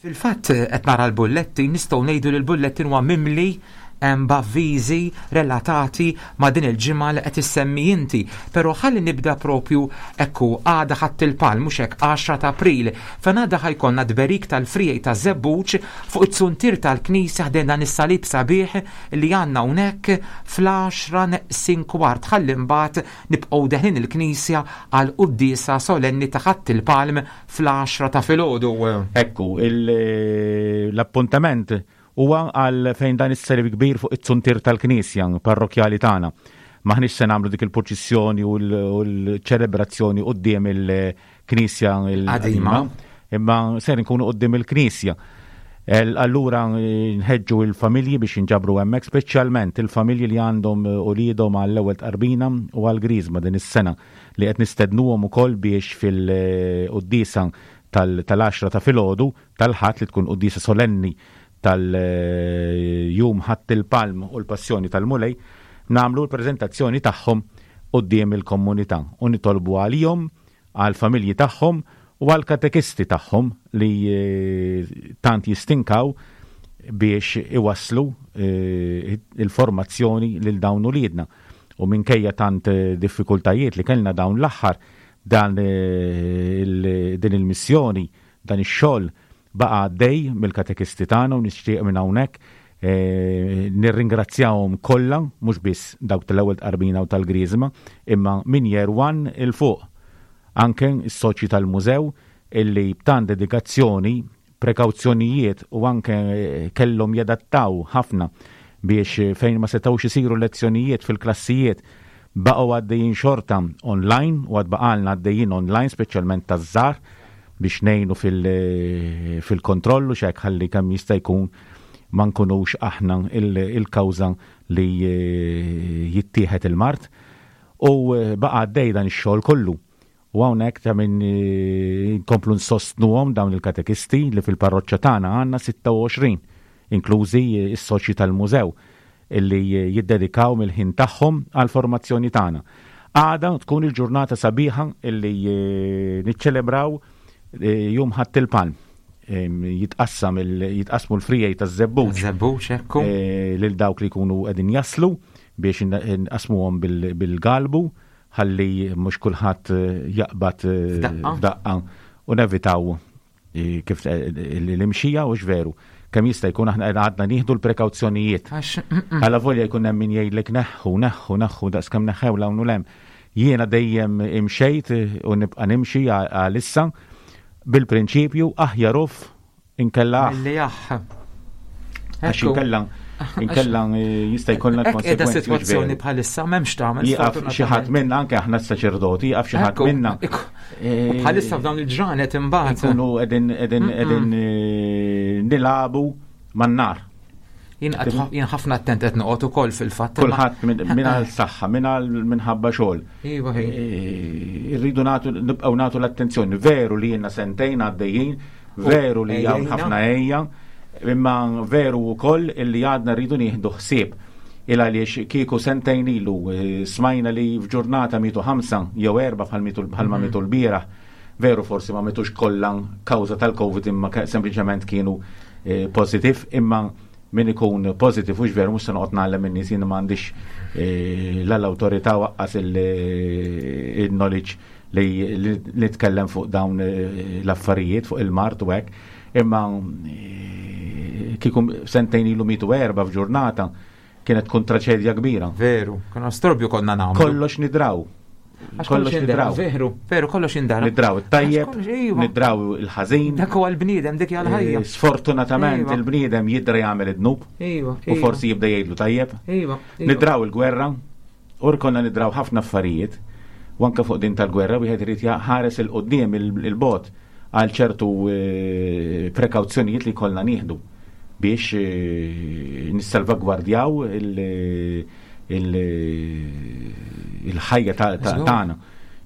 Fil-fatt qed nara l-bullettin, nistgħu ngħidu li l-bullettin huwa mimli b'avviżi relatati ma' din il-ġimgħa li qed issemmi inti. Però ħalli nibda propju ekku għada Ħadd il-Palm mhux hekk 10 ta' April. Fejn għada ħa jkollna tberik tal-friegħi taż-żebbuġ fuq it-zuntier tal-knisja ħdejn dan is-salib sabiħ li għandna hawnhekk fl-għaxra neqsin kwart ħalli mbagħad nibqgħu deħlin il-knisja għal quddiesa solenni ta' Ħadd il-Palm fl-għaxra ta' filgħodu. Ekku, l-appuntament Huwa għal fejn dan is-salib kbir fuq it-zuntier tal-knisja parrokkjali tagħna. M'aħniex se nagħmlu dik il-purċissjoni u l-ċelebrazzjoni quddiem il-knisja l-qadima, imma ser nkunu quddiem il-knisja. Allura nħeġġu il-familji biex jinġabru hemmhekk, speċjalment il-familji li għandhom uliedhom għall-ewwel tqarbina u għall-griżma din is-sena li qed nistednuhom ukoll biex fil-quddiesa tal-għaxra ta' filgħodu tal-Ħadd li tkun quddiesa solenni tal-Jum Ħadd il-Palm u l-Passjoni tal-Mulej, nagħmlu l-preżentazzjoni tagħhom quddiem il-komunità u nitolbu għalihom, għall-familji tagħhom u għall-katekisti tagħhom li tant jistinkaw biex iwasslu il-formazzjoni lil dawn uliedna. U minkejja tant diffikultajiet li kellna dawn l-aħħar, dan din il-missjoni Dan ix-xogħol baqa' għaddej mill-katekisti tagħna u nixtieq minn hawnhekk nirringrazzjahom kollha, mhux biss dawk tal-ewwel tqarbina u tal-Griżma, imma minn year one 'il fuq. Anke s-soċji tal-mużew illi b'tant dedikazzjoni, prekawzjonijiet u anke kellhom jadattaw ħafna biex fejn ma setgħux isiru lezzjonijiet fil-klassijiet baqgħu għaddejjin xorta online u għad baqgħalna għaddejjin online speċjalment taż-żgħar biex ngħinu fil-kontroll u x'hekk ħalli kemm jista' jkun ma nkunux aħna il-kawża li jittieħed il-mard. U baqa' għaddej dan ix-xogħol kollu. U hawnhekk ta' min nkomplu nsostnuhom dawn il-katekisti li fil-parroċċa tagħna għandna 26, inklużi s-soċji tal-mużew illi jiddedikaw mill-ħin tagħhom għall-formazzjoni tagħna. Għada tkun il-ġurnata sabiħa illi niċċelebraw Jum Ħadd il-Palm. Jitqassam jitqassmu l-frijej taż-żebbuġ. Żebbuġ, ekku. Lil dawk li jkunu qegħdin jaslu biex nqasmuhom bil-galbu ħalli mhux kulħadd jaqbad f'daqqa u nevitaw kif l-imxija u veru. Kemm jista' jkun aħna għadna nieħdu l-prekawzjonijiet. Għala volja jkun hemm min jgħidlek neħħu, neħħu, neħħu daqs kemm neħħew l hawn u lem. Jiena dejjem imxejt u nibqa' nimxi għalissa bil-prinċipju aħjar uff inkella aħ. Milli aħ. Għax inkella inkella jista' jkollna l-konsegwenzi. Sitwazzjoni bħalissa m'hemmx tagħmel. Jieqaf xi ħadd minna anke aħna s-saċerdoti, jieqaf xi ħadd minna. Bħalissa f'dawn il-ġranet imbagħad. Nkunu qegħdin qegħdin qegħdin nilagħbu man-nar. Jien ħafna attent qed noqgħod ukoll fil-fatt. Kulħadd minn għal saħħa, minn għal minħabba xogħol. Iva, Irridu nagħtu nibqgħu nagħtu l-attenzjoni. Veru li jiena sentejn għaddejjin, veru li hawn ħafna ejja, imma veru wkoll illi għadna rridu nieħdu ħsieb. Il għaliex kieku sentejn ilu smajna li f'ġurnata mietu 5 jew 4 bħal mietu bħalma mietu l-bieraħ. Veru forsi ma mietux kollha kawża tal-Covid imma sempliċement kienu positif, imma min ikun positif hux veru mhux se noqgħod ngħallem in-nies, jien m'għandix la l-awtorità waqqas il-knowledge li nitkellem fuq dawn l-affarijiet fuq il-mard u hekk, imma kieku sentejn ilu mietu 4 f'ġurnata kienet tkun traċedja kbira. Veru, konna storbju konna nagħmlu. Kollox nidraw. Għax Kollox kollox indraw, nidraw. veru, veru, kollox indara. Nidraw it-tajjeb, Għax kollox, iva. nidraw il-ħażin. Dak huwa l-bniedem, dik hija l-ħajja. Sfortunatament Iva. il-bniedem jidra jagħmel id-dnub Iva, u iva. forsi jibda jgħidlu tajjeb. Iva, iva. Nidraw il-gwerra, u konna nidraw ħafna affarijiet, u anke fuq din tal-gwerra wieħed irid ħares il-qudiem il-bot għal ċertu prekawzjonijiet li kollna nieħdu biex nissalvagwardjaw il-ħajja tagħna.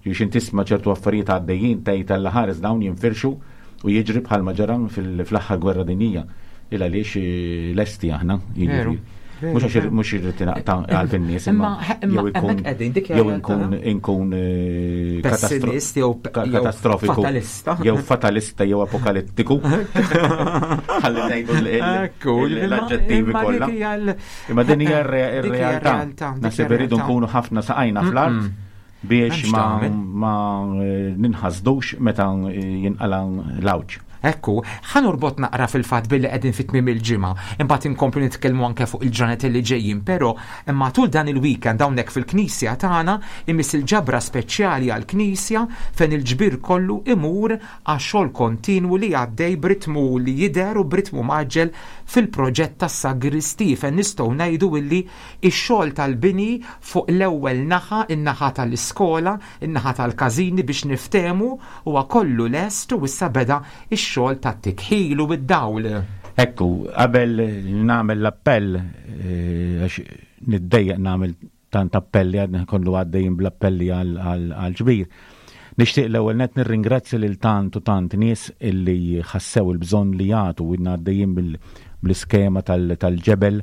Biex inti tisma' ċertu affarijiet għaddejjin tgħid Alla ħares dawn jinfirxu u jiġri bħalma ġara fl-aħħar gwerra dinjija. Il għaliex lesti aħna, jiġifieri. Veru, veru, Mhux għax veru. mhux irrid naqta' qalb in-nies, Imma imma imma jew ikun hemmhekk qegħdin, dik hija jew realtà. inkun Pessimist jew jew katastrofiku. fatalista. Jew fatalista jew apokalittiku. Ħalli ngħidu Ekku, l-aġġettivi imma dik kollha. hija Imma din hija dik hija r-realtà. r-realtà, dik Naħseb hija irridu r-realtà. nkunu ħafna saqajna fl-art biex M'hemmx tagħmel. ma ninħasdux meta jinqala l-għawġ. Ekku, ħa norbot naqra fil-fatt billi qegħdin fit tmiem il-ġimgħa, imbagħad inkomplu nitkellmu anke fuq il-ġranet li ġejjin, però matul dan il-weekend hawnhekk fil-knisja tagħna imiss il-ġabra speċjali għall-knisja fejn il-ġbir kollu imur għax-xogħol kontinwu li għaddej b'ritmu li jidher u b'ritmu maġġel fil-proġett tas-sagristi fejn nistgħu ngħidu illi x-xogħol tal-bini fuq l-ewwel naħa, in-naħa tal-iskola, in-naħa tal-każini biex niftehmu huwa kollu lest u issa beda ix-xogħol tat-tikħil u id-dawl. Ekku, qabel nagħmel l-appell, għax niddejjaq nagħmel tant appelli, għadna kollu għaddejjin bl-appelli għal-ġbir. Nixtieq l-ewwel net nirringrazzja lil tant u tant nies illi ħassew il-bżonn li jagħtu u għaddejjin bl-iskema tal-ġebel,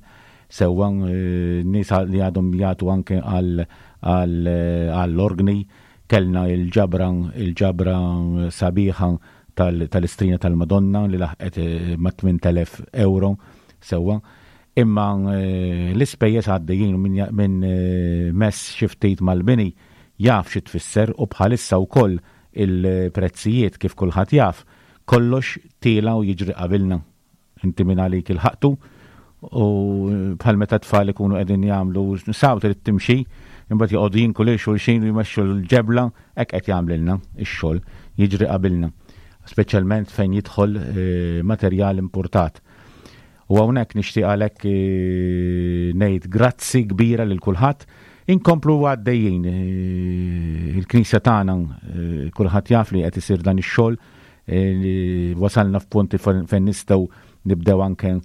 sewwa nies li għadhom jagħtu anke għall-organi. Kellna il-ġabra sabiħa tal-istrina tal-Madonna li laħqet ma' 8,000 euro sewwa. Imma l-ispejjeż għaddejjin minn mess xi ftit mal-bini jaf xi tfisser, u bħalissa wkoll il-prezzijiet kif kulħadd jaf, kollox tiela u jiġri qabilna. Inti minn għalik il-ħaqtu u bħal meta tfal ikunu qegħdin jagħmlu saw trid timxi, imbagħad joqogħdu jinku lil xulxin u jmexxu l-ġebla, hekk qed jagħmlilna ix-xogħol, jiġri qabilna. Speċjalment fejn jidħol materjal importat. U hawnhekk nixtieq għalhekk ngħid grazzi kbira lil kulħadd. Inkomplu għaddejjin il-knisja tagħna, kulħadd jaf li qed isir dan ix-xogħol, wasalna f'punti fejn nistgħu nibdew anke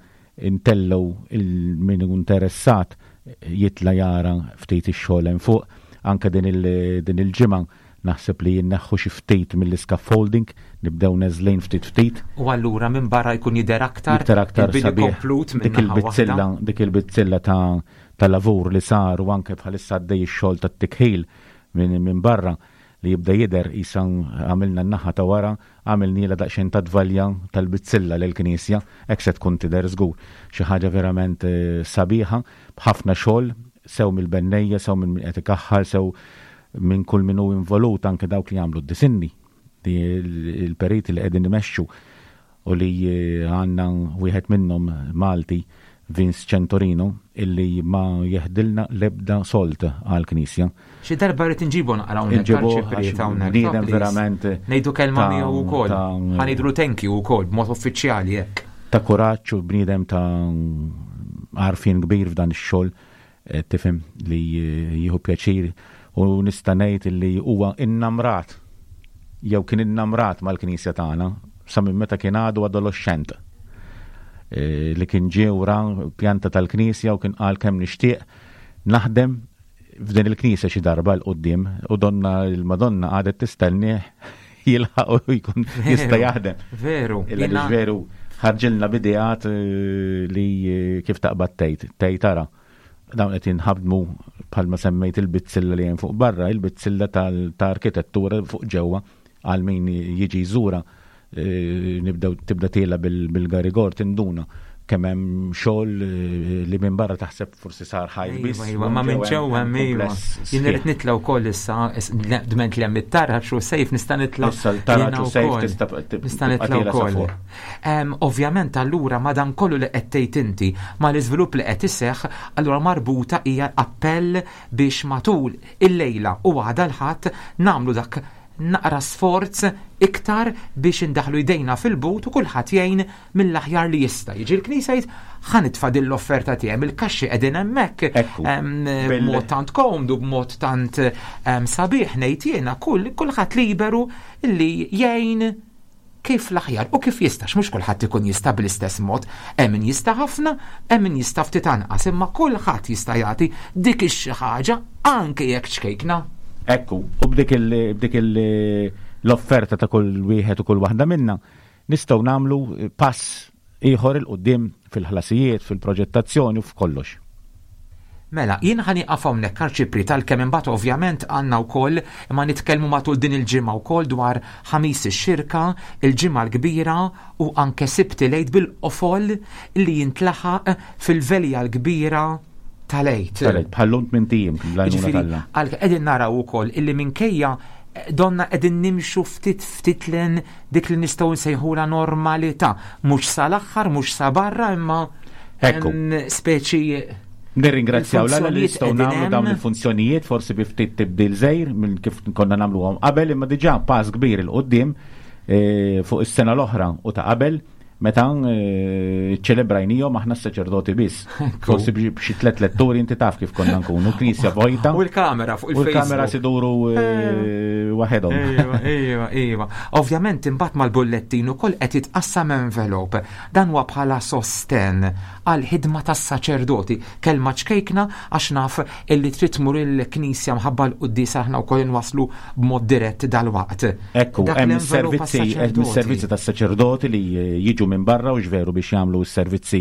intellgħu il-min hu interessat jitla jara ftit ix-xogħol hemm fuq. Anke din il-ġimgħa naħseb li jinneħħu xi ftit mill-scaffolding, nibdew neżlin ftit ftit. U allura minn barra jkun jidher aktar Jidher aktar il-bini sabiħ. komplut minn Dik naħa il-bizzilla, waħda. dik il-bizzilla ta' lavur li sar u anke bħalissa għaddej ix-xogħol tat-tikħil minn barra li jibda jidher isa għamilna n-naħa ta' wara, għamilniela daqsxejn ta' tvalja tal-bizzilla lill-knisja, hekk se tkun tidher żgur. Xi ħaġa verament sabiħa, b'ħafna xogħol, sew mill-bennejja, sew minn min qed ikaħħal, sew minn kull min hu involut, anke dawk li jagħmlu d-disinni, li il-periti li qegħdin imexxu u li għandna wieħed minnhom Malti Vince Centorino illi ma jeħdilna l-ebda sold għall-Knisja. Xi darba rrid inġibu naqra hawnhekk Inġibuh arċipriet għax hawnhekk. bniedem please. verament Ngħidu kelma ta' miegħu wkoll. ta' Ħa ngħidulu thank you wkoll b'mod uffiċjali hekk. Ta' kuraġġ u bniedem ta' għarfien kbir f'dan ix-xogħol, eh, tifhem li eh, jieħu pjaċir u nista' ngħid li huwa innamrat jew kien innamrat mal-Knisja tagħna sa minn meta kien għadu adoloxxent. Eh, li kien ġie wra pjanta tal-Knisja u kien qal kemm nixtieq naħdem f'din il-Knisja xi darba 'l quddiem u donna l-Madonna għadet tistennieh jilħaq u jkun jista' jaħdem. Veru. Illa li veru ħarġilna b'ideat eh, li eh, kif taqbad tgħid, tgħid tara dawn qed jinħadmu bħalma semmejt il-bizzilla li hemm fuq barra, il-bizzilla ta' arkitettura fuq ġewwa għal min jiġi jżura eh, nibdew tibda tiela bil-garigor tinduna kemm hemm xogħol eh, li minn barra taħseb forsi sar ħajt biss. Iva, iva, ma minn ġewwa hemm iva. kumpless Jien irid sħiħ. nitla' wkoll issa, dment li hemm it-taraġ u sejf nista' nitla' Issa l-taraġ jiena u sejf wkoll. tista' Nista' tibqa' nitla' tiela sa wkoll. fuq. Ovvjament allura ma dan kollu li qed tgħid inti ma l-iżvilupp li qed iseħħ, allura marbuta hija appell biex matul il-lejla u għada l-Ħadd nagħmlu dak naqra sforz iktar biex indaħlu jdejna fil-but u kulħadd jgħin mill-aħjar li jista'. Jiġi l-Knisja jgħid ħa nitfa' din l-offerta tiegħi il-kaxxi qegħdin hemmhekk Ekku. b'mod tant komdu, b'mod tant sabiħ ngħid jiena kull kulħadd liberu li jgħin kif l-aħjar u kif jistax, mhux kulħadd ikun jista' bl-istess mod, hemm min jista' ħafna, hemm min jista' ftit anqas, imma kulħadd jista' jagħti dik ix-xi ħaġa anke jekk ċkejkna. Ekku, u b'dik il- b'dik il- l-offerta ta' kull wieħed u kull waħda minna nistgħu nagħmlu pass ieħor 'il quddiem fil-ħlasijiet, fil-proġettazzjoni u f'kollox. Mela, jien ħa nieqaf hawnhekk arċipriet għalkemm imbagħad ovvjament għandna wkoll imma nitkellmu matul din il-ġimgħa wkoll dwar ħamis ix-xirka, il-ġimgħa l-kbira u anke Sibt il-Għid bil-qofol li jintlaħaq fil-velja l-kbira tal-Għid. Tal-Għid, bħallum tmint ijiem bl-għajnuna Jiġifieri, t'Alla. għal qegħdin naraw ukoll illi minkejja eh, donna qegħdin nimxu ftit ftit lejn dik li nistgħu nsejħula normalità, mhux sal-aħħar, mhux sa barra, imma Ekku. speċi Nirringrazzjaw l li Il-funzjonijiet nistgħu qegħdin nagħmlu dawn hemm. il-funzjonijiet forsi bi ftit tibdil żgħir minn kif konna nagħmluhom qabel imma diġà pass kbir 'il quddiem eh, fuq is-sena l-oħra u ta' qabel meta eh, ċelebrajnihom aħna s-saċerdoti biss. Forsi b'xi tliet letturi inti taf kif konna nkunu, knisja vojta. U l-kamera fuq U l-kamera il-Facebook. siduru eh, waħedhom. Iva, iva, iva. Ovvjament imbagħad mal-bullettin ukoll qed jitqassam envelope. Dan huwa bħala sosten għal ħidma tas-saċerdoti. Kelma ċkejkna għax naf illi trid tmur il-knisja mħabba l-quddies aħna wkoll inwaslu b'mod dirett dalwaqt. Ekku, Dak hemm l-envelope is-servizzi hemm għas-saċerdoti. is-servizzi tas-saċerdoti li eh, jiġu minn barra u ġveru biex jagħmlu s-servizzi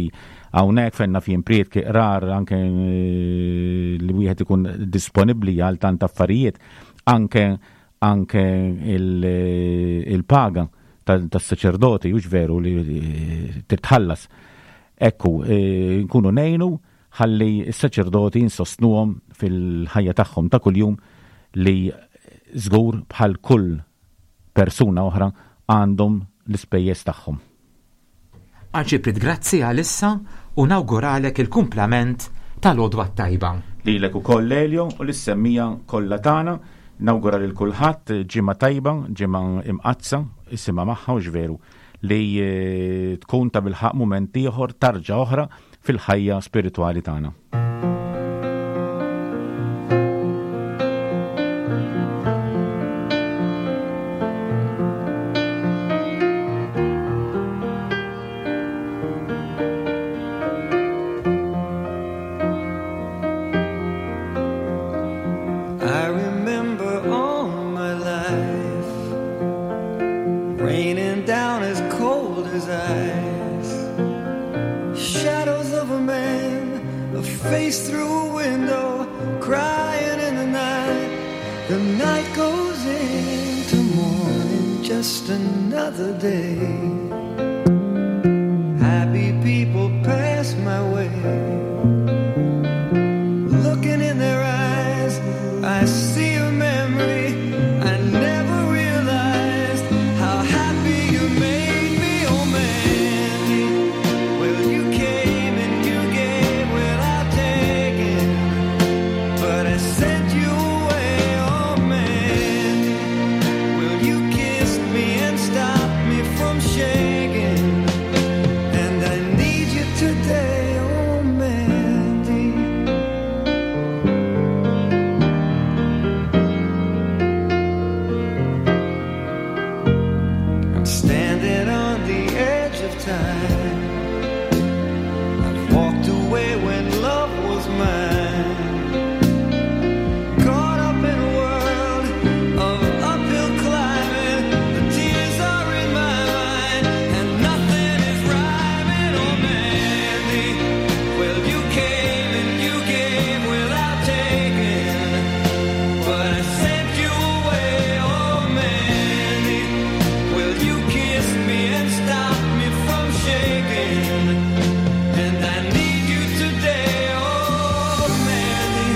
hawnhekk fejn naf jien prietki qrar anke eh, li wieħed ikun disponibbli għal tant affarijiet, anke anke eh, il-paga tas-saċerdoti u ġveru li eh, titħallas. Ekku, eh, nkunu nejnu ħalli s-saċerdoti insostnuhom fil-ħajja tagħhom ta' kuljum li żgur bħal kull persuna oħra għandhom l-ispejjeż tagħhom. Arċipriet, grazzi għalissa u nawguralek il-kumplament tal-għodwa t-tajba. Lilek ukoll Elio u lis-semmija kollha tagħna nawgura lil kulħadd ġimgħa tajba, ġimgħa imqaddsa, isimha magħha u ġveru li eh, tkun ta' bilħaq mument ieħor tarġa oħra fil-ħajja spiritwali tagħna. I remember all my life raining down as cold as ice. Shadows of a man, a face through a window, crying in the night. The night goes into morning, just another day. Happy people pass my way. Looking in their eyes, I see a memory I never realized. How happy you made me, oh Mandy. Well, you came and you gave. time. I've walked away when love was mine. Caught up in a world of uphill climbing. The tears are in my mind, and nothing is rhyming. Oh, Mandy, well, you came and you gave without taking. But I sent you away, oh Mandy. Well, you kissed me and stopped me from shaking. And I need you today, oh Mandy.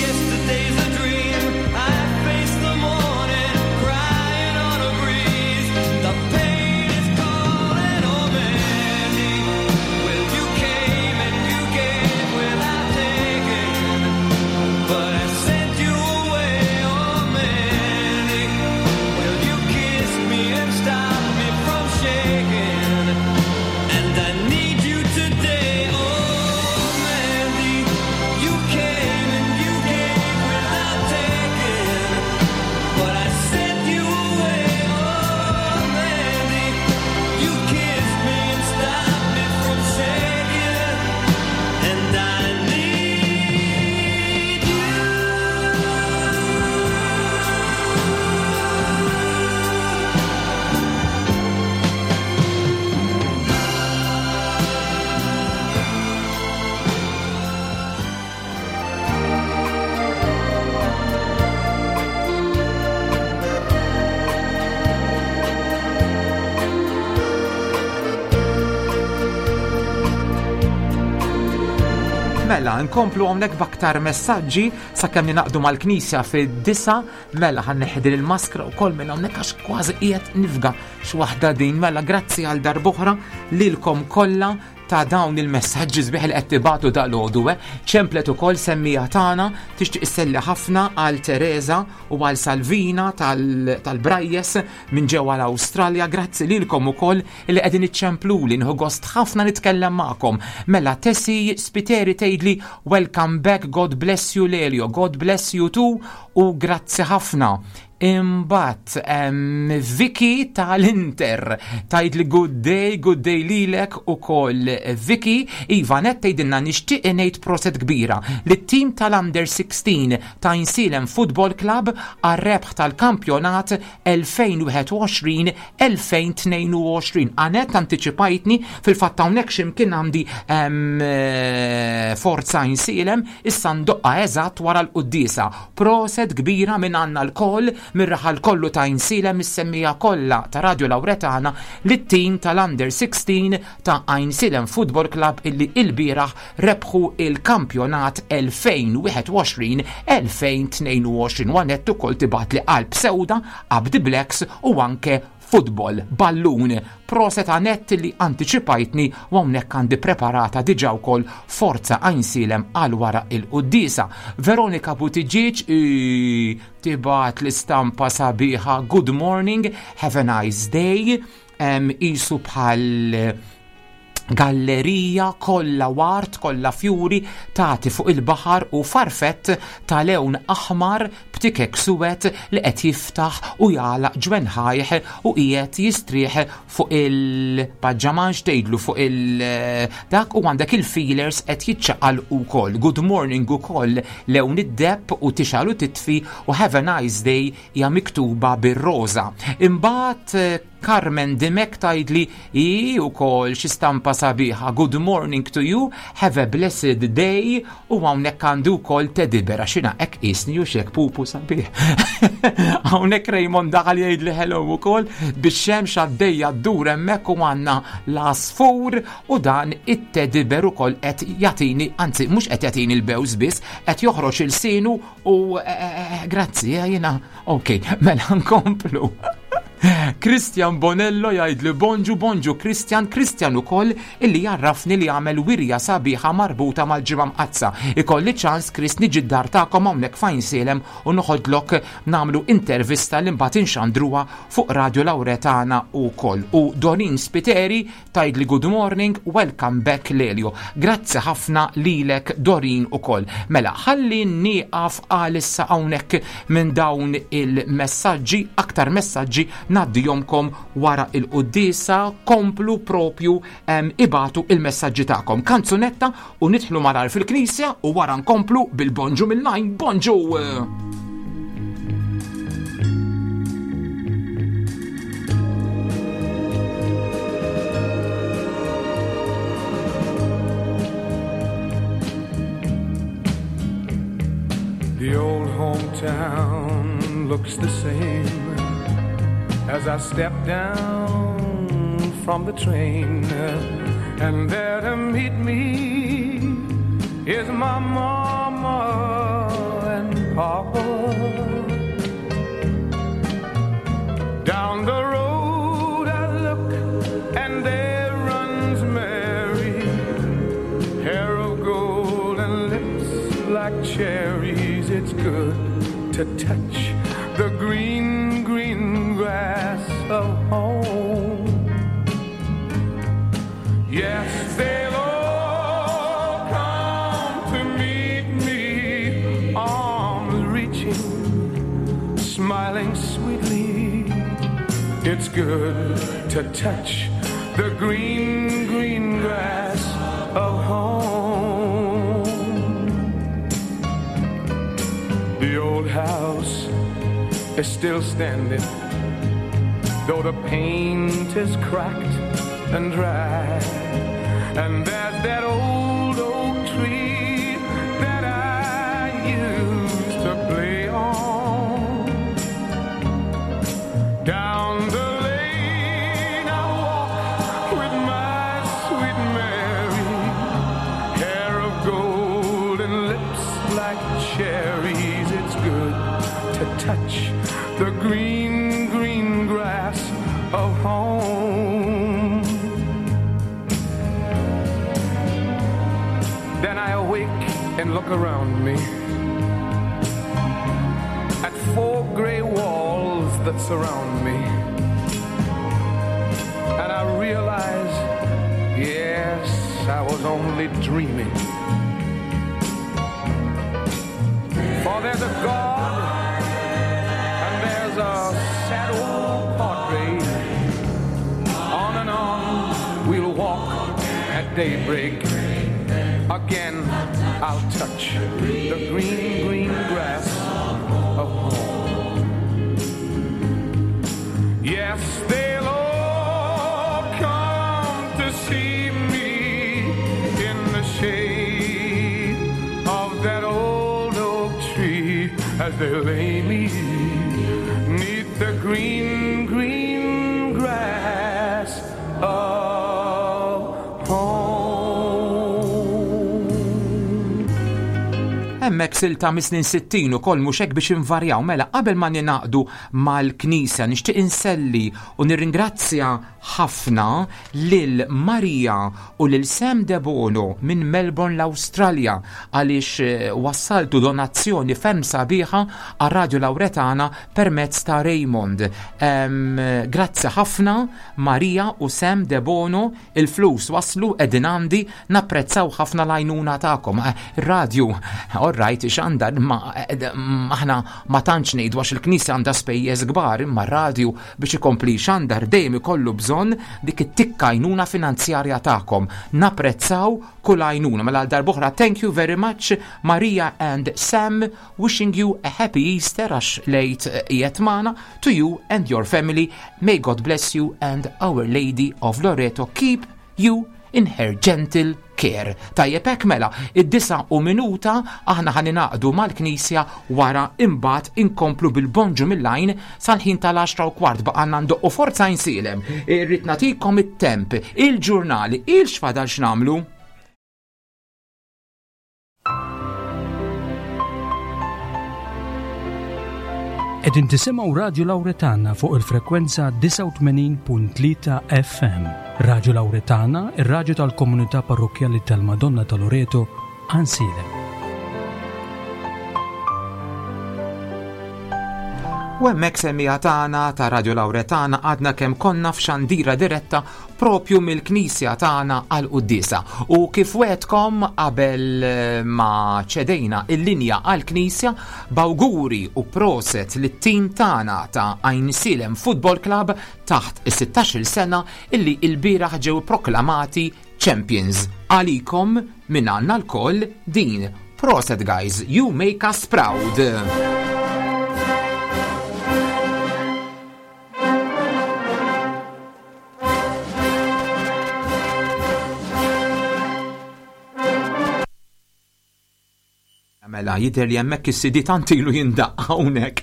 Yesterday's a dream. I face the morning, crying on a breeze. The pain is calling, oh Mandy. Well, you came and you gave without taking, but I sent you away, oh Mandy. Well, you kissed me and stopped me from shaking, and I need you today, oh Mandy. You came and you gave without taking, but I sent you away, oh Mandy. You kissed me and stopped me from shaking, and I need you. Mela, nkomplu hawnhekk b'aktar messaġġi sakemm ninaqdu mal-knisja fid-disa, mela ħan neħdi il-maskra wkoll minn hawnhekk għax kważi qiegħed nifga x'waħda din. Mela, grazzi għal darb'oħra lilkom kollha ta' dawn il-messaġġi sbieħ li qed tibatu dal-għodu, eh. Ċemplet ukoll semmija tagħna tixtieq isselli ħafna għal Teresa u għal Salvina tal-Brajjes minn ġewwa l-Awstralja. Grazzi lilkom ukoll li qegħdin iċċempluli, nieħu gost ħafna nitkellem magħkom. Mela Tessi Spiteri tgħidli welcome back, God bless you Lelio, God bless you too u grazzi ħafna. Imbagħad Vicky tal-Inter tgħidli good day, good day lilek ukoll Vicky. Iva net tgħidilna nixtieq ngħid proset kbira lit-tim tal-Under 16 ta' Għajnsielem Football Club għar-rebħ tal-kampjonat 2021-2022. Anet antiċipajtni fil-fatt hawnhekk x'imkien għandi Forza Għajnsielem issa ndoqqa eżatt wara l-quddiesa. Proset kbira minn għandna lkoll mir-raħal kollu ta' Għajnsielem is-semmija kollha ta' Radio Lauretana lit-tim tal-Under 16 ta' Għajnsielem Football Club illi ilbieraħ rebħu il-kampjonat 2021-2022. U Anett ukoll tibgħatli qalb sewda, Up the Blacks u anke football, ballun. Proset Anett li antiċipajtni u hawnhekk għandi preparata diġà wkoll Forza Għajnsielem għal wara il-quddiesa. Veronika Buttigieg tibgħat l-istampa sabiħa good morning, have a nice day, isu bħal gallerija kollha ward, kollha fjuri, tagħti fuq il-baħar u farfett ta' lewn aħmar b'tikek suwed li qed jiftaħ u jagħlaq ġwenħajh u qiegħed jistrieħ fuq il-paġġamanx tgħidlu fuq il-dak u għandek il-feelers qed jiċċaqal ukoll. Good morning ukoll lewn id-deb u tixgħel u titfi u have a nice day hija miktuba bir-roża. Imbagħad Carmen Dimek tgħidli i ukoll xi stampa sabiħa. Good morning to you, have a blessed day u hawnhekk għandu wkoll teddy bear għax jiena hekk qisni u xek pupu sabiħ. Hawnhekk Raymond daħal jgħidli hello ukoll bix-xemx għaddejja ddur hemmhekk u għandna l-għasfur u dan it-teddy bear ukoll qed jagħtini, anzi mhux qed jagħtini l-bews biss, qed joħroġ il-sinu u grazzi, jiena ok, mela nkomplu. Christian Bonello jgħidli bonġu bonġu Christian, Christian ukoll illi jarrafni li għamel wirja sabiħa marbuta mal-ġimgħa mqaddsa. Ikolli ċans Chris niġi d-dar tagħkom hawnhekk fajn sielem u noħodlok nagħmlu intervista li mbagħad inxandruha fuq Radio Lauretana wkoll. U Dorin Spiteri tgħidli good morning, welcome back Lelio. Grazzi ħafna lilek Dorin ukoll. Mela, ħalli nieqaf għalissa hawnhekk minn dawn il-messaġġi, aktar messaġġi ngħaddihomkom wara il-quddiesa, komplu propju ibatu il-messaġġi tagħkom. Kanzunetta u nidħlu malar fil-knisja u wara nkomplu bil-bonġu mill-lajn. Bonġu! The old hometown looks the same as I step down from the train. And there to meet me is my mama and papa. Down the road I look, and there runs Mary, hair of gold and lips like cherries. It's good to touch the green, green grass of home. Yes, they'll all come to meet me, arms reaching, smiling sweetly. It's good to touch the green, green grass of home. The old house is still standing, though the paint is cracked and dry. And there's that old oak tree that I used to play on. Down the lane I walk with my sweet Mary, hair of gold and lips like cherries. It's good to touch the green, green grass of home. Then I awake and look around me at four gray walls that surround me. And I realize, yes, I was only dreaming. For there's a God and there's a sad old portrait. On and on we'll walk at daybreak. Again, I'll touch the green, green grass of home. Yes, they'll all come to see me in the shade of that old oak tree as they lay me neath the green, green grass of home. Hemmhekk silta mis-snin 60 ukoll mhux hekk biex invarjaw mela qabel ma ninaqdu mal-Knisja nixtieq inselli u nirringrazzja ħafna lil Maria u lil Sam Debono minn Melbourne l-Awstralja għaliex eh, wassaltu donazzjoni ferm sabiħa għar Radio Lauretana permezz ta' Raymond. Grazzi ħafna Maria u Sam Debono Il-flus waslu qegħdin għandi, napprezzaw ħafna l-għajnuna tagħkom. Eh, ir-radju, all right, xandar, ma eh, aħna ma tantx ngħidu għax il-knisja għandha spejjeż kbar, imma r-radju biex ikompli xandar dejjem ikollu bżonn dik it-tikka għajnuna finanzjarja tagħkom. Napprezzaw kull għajnuna. Mela għal darb'oħra thank you very much Maria and Sam, wishing you a happy Easter għax lejt eh, qiegħed magħna to you and your family. May God bless you and Our Lady of Loreto keep you in her gentle care. Tajjeb hekk mela, id-disa u minuta aħna ħa ninaqdu mal-Knisja wara imbagħad inkomplu bil-bonġu mill-għajn sal-ħin tal-10 u kwart baqgħna ndoqqu forza insilem. Irrid nagħtikom it-temp, il-ġurnali, il-xfadal x'nagħmlu. Qegħdin tisimgħu Radju Lawretana fuq il-frekwenza 89.3 FM. Radju Lawretana, ir-radju tal-komunità parrokkjali tal-Madonna ta' Loreto, Għajnsielem. U hemmhekk semmiegħa tagħna ta' Radio Lawretana għadna kemm konna f'xandira diretta propju mill-knisja tagħna għal quddiesa. U kif wetkom qabel eh, ma ċedejna il-linja għal knisja b'awguri u proset lit-tim tagħna ta' Għajnsielem Football Club taħt is-16-il sena illi l-bieraħ ġew proklamati Champions. Għalikom minn għandna lkoll din. Proset guys, you make us proud. Mela, jidher li hemmhekk is-CD tant ilu jindaqq hawnhekk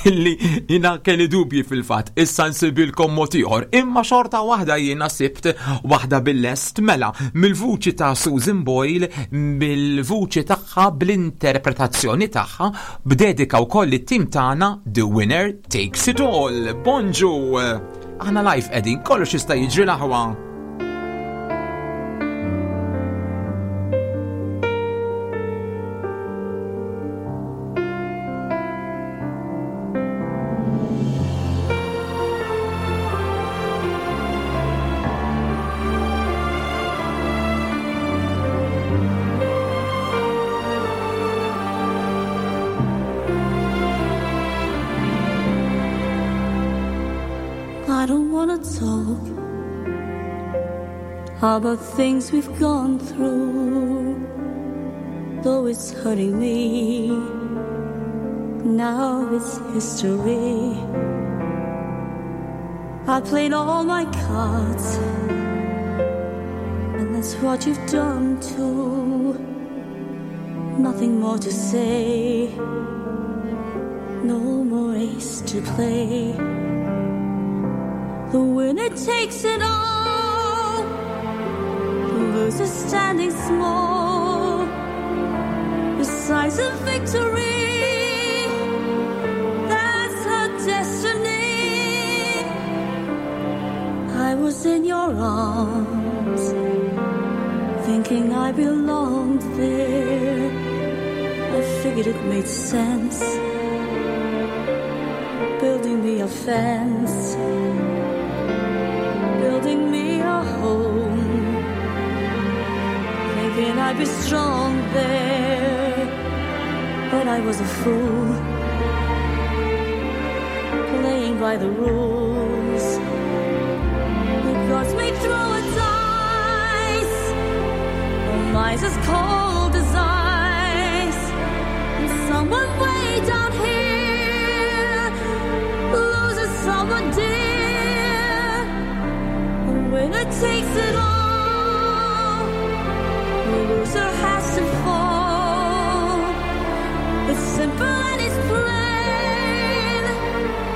illi jiena kelli dubji fil-fatt. Issa nsibilkom mod ieħor. Imma xorta waħda jiena sibt waħda bil-lest mela mill-vuċi ta' Susan Boyle, mill-vuċi tagħha bl-interpretazzjoni tagħha b'dedika wkoll it-tim tagħna The Winner Takes It All. Bonġu! Aħna live qegħdin, kollox jista' jiġri l-aħwa. I don't wanna talk about things we've gone through, though it's hurting me. Now it's history. I played all my cards, and that's what you've done too. Nothing more to say, no more ace to play. The winner takes it all, the loser standing small. The size of victory, that's her destiny. I was in your arms, thinking I belonged there. I figured it made sense, building me a fence, building me a home, thinking I'd be strong there. But I was a fool, playing by the rules. The gods may throw a dice, the lies as cold as ice. And someone way down here loses someone dear. The winner takes it all, the loser has to fall. It's simple and it's plain.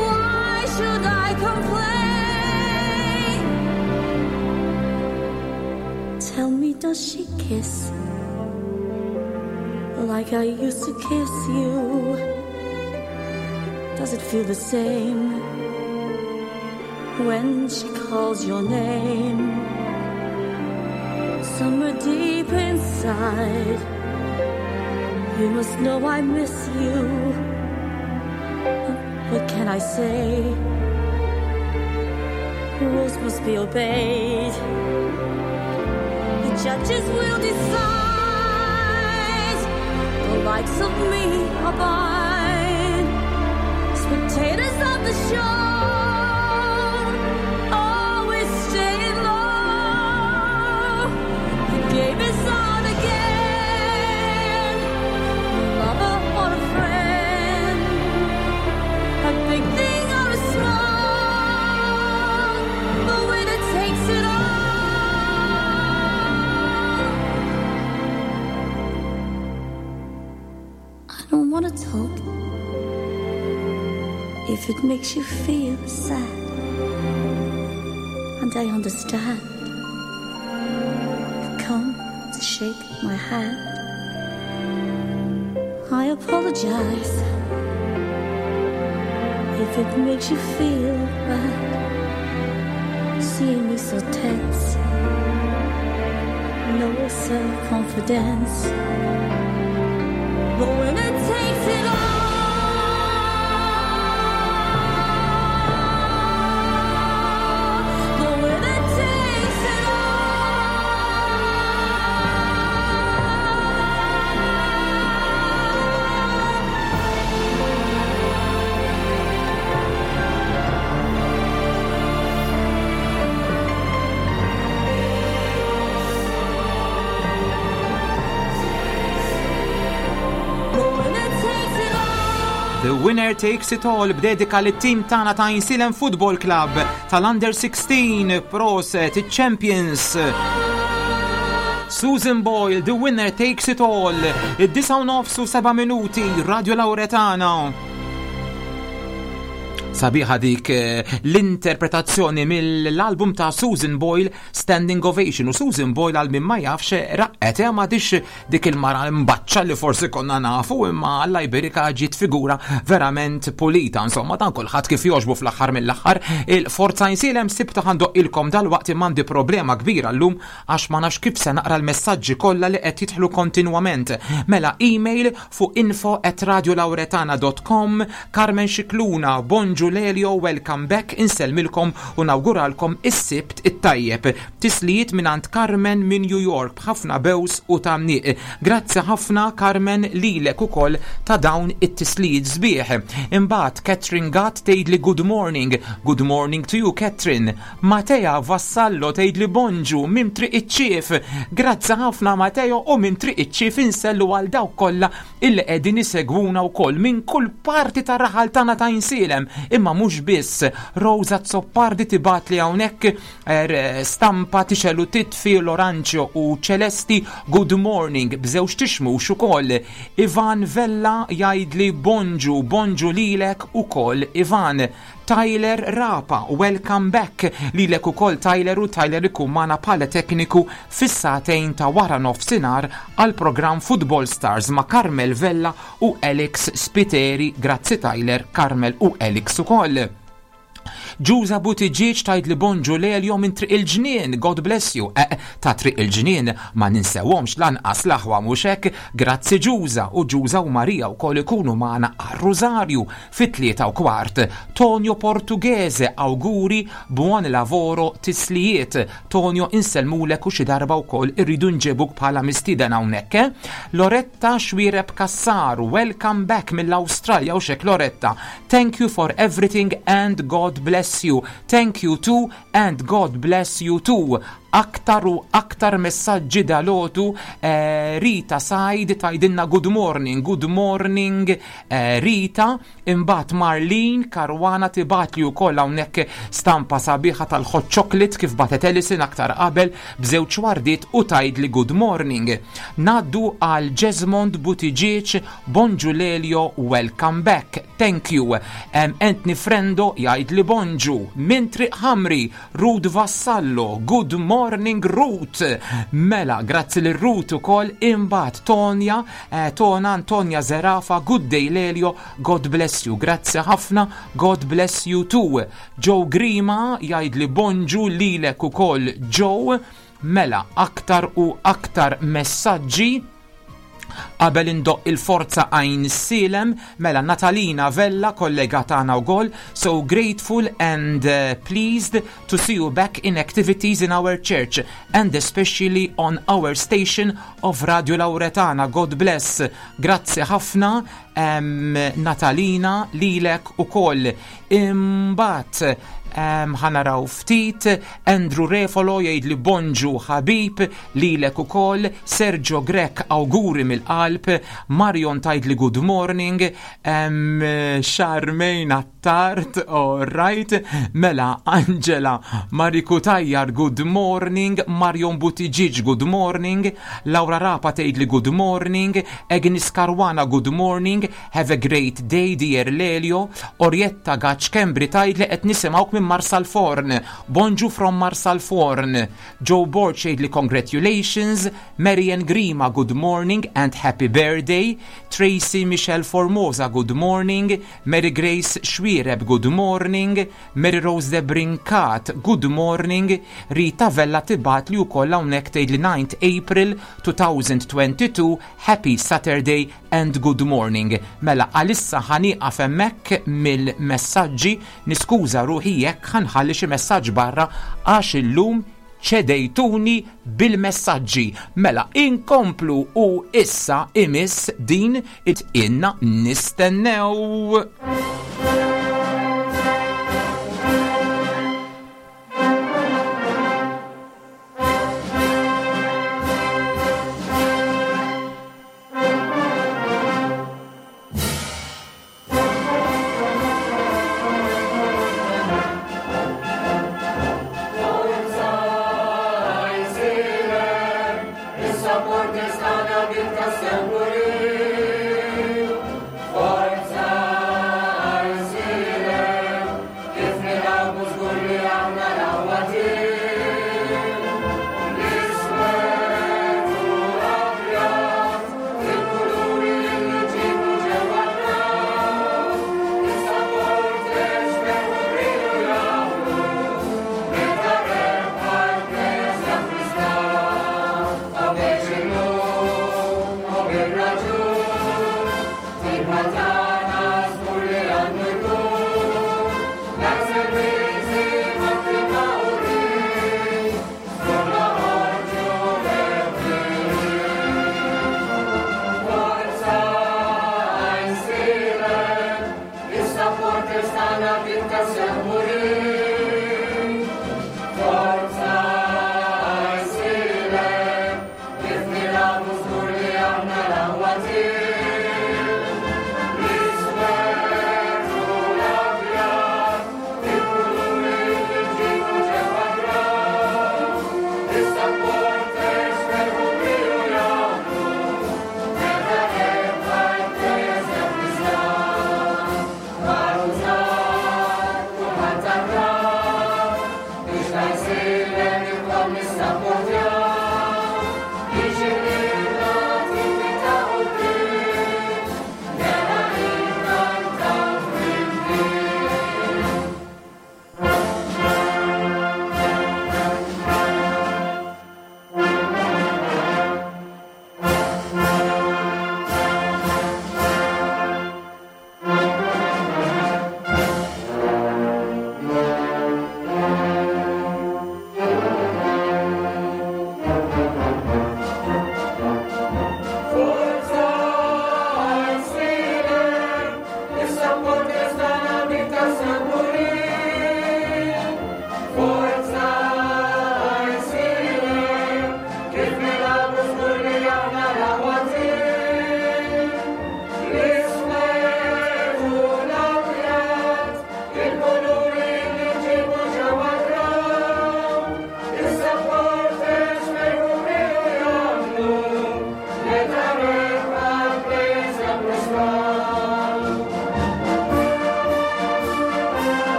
Why should I complain? Tell me, does she kiss like I used to kiss you? Does it feel the same when she calls your name? Somewhere deep inside, you must know I miss you. What can I say? Rules must be obeyed. The judges will decide. The likes of me abide. Spectators of the show always staying low. The game is on again. A lover or a friend, a big thing or a small. The winner takes it all. I don't wanna talk if it makes you feel sad, and I understand. You've come to shake my hand. I apologize If it makes you feel bad, seeing me so tense, no self confidence. The winner takes it all. The winner takes it all. The winner takes it all. The winner takes it all b'dedika lit tim tagħna ta' Għajnsielem Football Club tal-Under 16 proset iċ-Champions. Susan Boyle, The Winner Takes It All, id-9 u nofs u 7 minuti, Radio Lauretana. Sabiħa dik eh, l-interpretazzjoni mill-album ta' Susan Boyle Standing Ovation u Susan Boyle għal min ma jafx eh, raqqet eh, ma dix dik il-mara mbaċċa li forsi konna nafu imma Alla jberika ġiet figura verament pulita insomma dan kulħadd kif jogħġbu fl-aħħar mill-aħħar il-Forza Għajnsielem sibta ħandoqqilkom dalwaqt imma għandi problema kbira llum għax ma nafx kif se naqra l-messaġġi kollha li qed jidħlu kontinwament. Mela email fuq info at radiolauretana.com Carmen Scicluna, Bonġu Lelio, welcome back, insellmilkom u nawguralkom is-Sibt it-tajjeb. Tislijiet mingħand Carmen minn New York b'ħafna bews u tgħanniq. Grazzi ħafna Carmen lilek ukoll ta' dawn it-tislijiet sbieħ. Imbagħad Catherine Gatt tgħidli good morning. Good morning to you Catherine. Matea Vassallo tgħidli bonġu minn Triq iċ-Ċief. Grazzi ħafna Mateo u minn Triq iċ-Ċief insellu għal dawk kollha illi qegħdin isegwuna wkoll minn kull parti tar-raħal tagħna ta' Għajnsielem. Imma mhux biss. Rosa Azzopardi tibgħatli hawnhekk er, stampa tixel u titfi l-oranġjo u ċelesti good morning b'żewġ tixmux ukoll. Ivan Vella jgħidli bonġu, bonġu lilek ukoll Ivan. Tyler Rapa, welcome back lilek ukoll Tyler u Tyler ikun magħna bħala tekniku fis-sagħtejn ta' wara nofsinhar għall-programm Football Stars ma' Carmel Vella u Alex Spiteri. Grazzi Tyler, Carmel u Alex ukoll. Ġuża Buttigieg tgħidli bonġu Lelio minn Triq il-Ġnien, God bless you. Eh, ta' Triq il-Ġnien ma ninsewhomx lanqas l-aħwa mhux hekk? Grazzi Ġuża u Ġuża u Marija wkoll ikunu magħna għar-Rużarju fit-3:15. Tonio Portughese, awguri, buon lavoro, tislijiet. Tonio insellmulek u xi darba wkoll irridu nġibuk bħala mistieden hawnhekk, eh? Loretta Xuereb Cassar, welcome back mill-Awstralja u xek Loretta. Thank you for everything and God bless you. Thank you too and God bless you too. Aktar u aktar messaġġi dalgħodu eh, Rita Said tgħidilna good morning, good morning eh, Rita. Imbagħad Marlene Caruana tibgħatli wkoll hawnhekk stampa sabiħa tal-hot chocolate kif batet Ellison aktar qabel b'żewġ wardiet u tgħidli good morning. Ngħaddu għal Jesmond Buttigieg, bonġu Lelio, welcome back. Thank you. Um, Anthony Frendo jgħidli bonġu. Minn Triq Ħamri, Ruth Vassallo, good morning Ruth. Mela, grazzi lil Ruth ukoll imbagħad Tonja, eh, Tona Antonia Zerafa, good day Lelio, God bless you. Grazzi ħafna, God bless you too. Joe Grima jgħidli bonġu lilek ukoll Joe. Mela, aktar u aktar messaġġi Qabel indoqq il-Forza Għajnsielem, mela Natalina Vella, kollega tagħna wkoll, so grateful and eh, pleased to see you back in activities in our church and especially on our station of Radio Lauretana. God bless. Grazzi ħafna um, Natalina lilek ukoll. Imbagħad ħa naraw ftit, Andrew Refolo jgħidli bonġu ħabib, lilek ukoll, Sergio Grech awguri mill-qalb, Marion tgħidli good morning, um, Charmaine Attard, all right, mela Angela Mariku Tajjar good morning, Marion Buttigieg good morning, Laura Rapa tgħidli good morning, Agnes Caruana good morning, have a great day dear Lelio, Orietta Gaċ Kembri tgħidli qed nisimgħuk minn minn Marsalforn. Bonġu from Marsalforn. Joe Borg jgħidli congratulations, Marian Grima good morning and happy birthday, Tracy Michelle Formosa good morning, Mary Grace Xuereb good morning, Mary Rose de Brincat good morning, Rita Vella tibgħatli wkoll hawnhekk tgħidli 9th April 2022 happy Saturday and good morning. Mela għalissa ħa nieqaf hemmhekk mill-messaġġi, niskuża ruħi jekk ħa nħalli xi messaġġ barra għax illum ċedejtuni bil-messaġġi. Mela inkomplu u issa imiss din it-inna nistennew.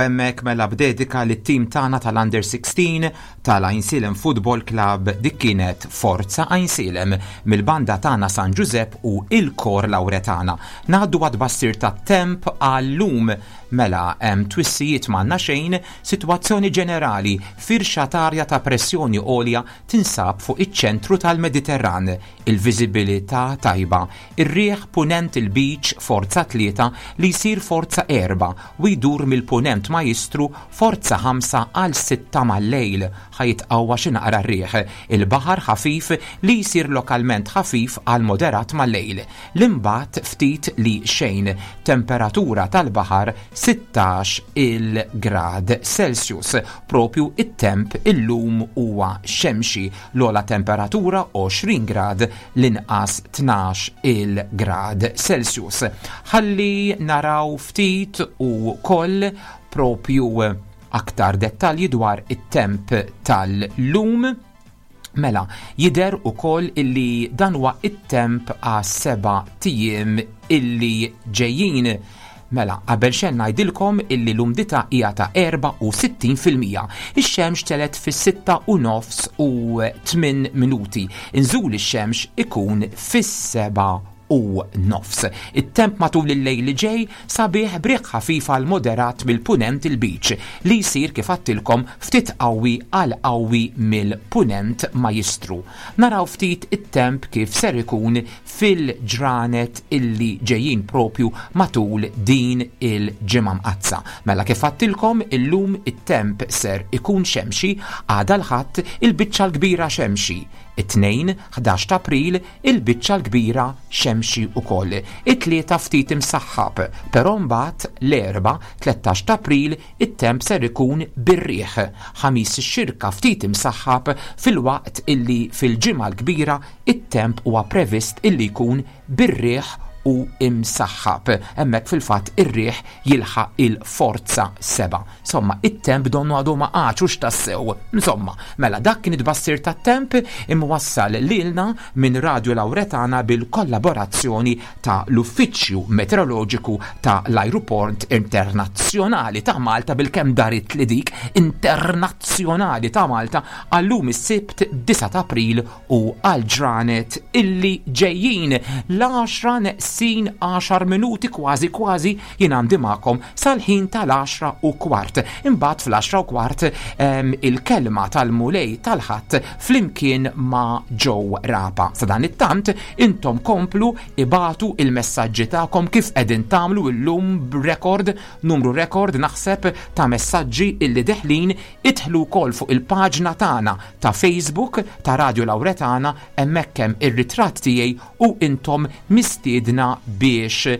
Hemmhekk mela b'dedika lit-tim tagħna tal-Under 16 tal-Għajnsielem Football Club dik kienet Forza Għajnsielem mill-banda tagħna San Ġużepp u il-Kor Lawretana. Ngħaddu għat-tbassir tat-temp għal-lum mela hemm twissijiet m'għandna xejn, sitwazzjoni ġenerali, firxa t'arja ta' pressjoni għolja tinsab fuq iċ-ċentru tal-Mediterran, il-viżibilità tajba, Ir-riħ Punent il-Lbiċ forza tlieta li jsir forza erba' u jdur mill-Punent Majjistru forza ħamsa għal sitta mal-lejl. Ħa jitqawwa xi naqra r-riħ. Il-baħar ħafif li jsir lokalment ħafif għal moderat mal-lejl. L-imbatt ftit li xejn. Temperatura tal-baħar 16 il grad Celsius. Propju it-temp illum huwa xemxi. L-ogħla temperatura 20 grad l-inqas 12 il grad Celsius. Ħalli naraw ftit u koll propju aktar dettalji dwar it-temp tal-lum. Mela, jider u koll illi dan huwa it-temp għas seba tijiem illi ġejjin. Mela, qabel xejn ngħidilkom illi l-umdità hija ta' 64%. Ix-xemx telgħet fis-sitta u nofs u tminn minuti. Inżul ix-xemx ikun fis-sebgħa u nofs. It-temp matul il-lejl li ġej sabiħ b'riħ ħafif għal moderat mill-Punent il-Lbiċ li jsir kif għadtilkom ftit qawwi għal qawwi mill-Punent Majjistru. Naraw ftit it-temp kif ser ikun fil-ġranet illi ġejjin propju matul din il-Ġimgħa Mqaddsa. Mela kif għadtilkom illum it-temp ser ikun xemxi, għada l-Ħadd il-biċċa l-kbira xemxi, it-Tnejn, 11 ta' April, il-biċċa l-kbira xemxi wkoll, it-Tlieta ftit imsaħħab, però mbagħad l-Erbgħa, 13 ta' April, It-temp ser ikun bir-riħ, Ħamis ix-Xirka ftit imsaħħab filwaqt illi fil-Ġimgħa l-Kbira it-temp huwa previst illi jkun bir-riħ u imsaħħab. Hemmhekk fil-fatt ir-riħ jilħaq il-forza 7. Insomma, it-temp donnu għadu ma qagħadx hux tassew. Insomma, mela dak kien it-tbassir tat-temp imwassal lilna minn Radio Lauretana bil-kollaborazzjoni ta' l-Uffiċċju Meteoroloġiku ta' l-Ajruport Internazzjonali ta' Malta bilkemm daritli dik Internazzjonali ta' Malta għal-lum is-Sibt 9 ta' April u għall-ġranet illi ġejjin. L-għaxra neqsin għaxar minuti kważi kważi jien għandi magħkom sal-ħin tal-għaxra u kwart. Imbagħad fl-għaxra u kwart il-kelma tal-Mulej tal-Ħadd flimkien ma' Joe Rapa. Sadanittant intom komplu ibagħtu il-messaġġi tagħkom kif qegħdin tagħmlu illum b'rekord, numru rekord naħseb ta' messaġġi illi deħlin, idħlu wkoll fuq il-paġna tagħna ta' Facebook ta' Radio Lauretana hemmhekk hemm ir-ritratt tiegħi u intom mistiedna biex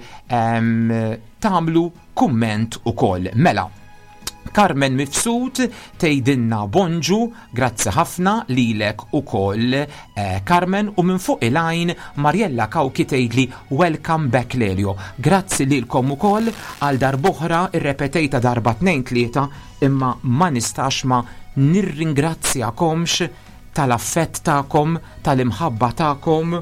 tagħmlu kumment ukoll. Mela, Carmen Mifsud tgħidilna bonġu, grazzi ħafna lilek ukoll eh, Carmen u minn fuq il-għajn Mariella Cauchi tgħidli welcome back Lelio. Grazzi lilkom ukoll għal darb'oħra irrepetejta darba tnejn tlieta imma ma nistax ma nirringrazzjakomx tal-affett tagħkom, tal-imħabba tagħkom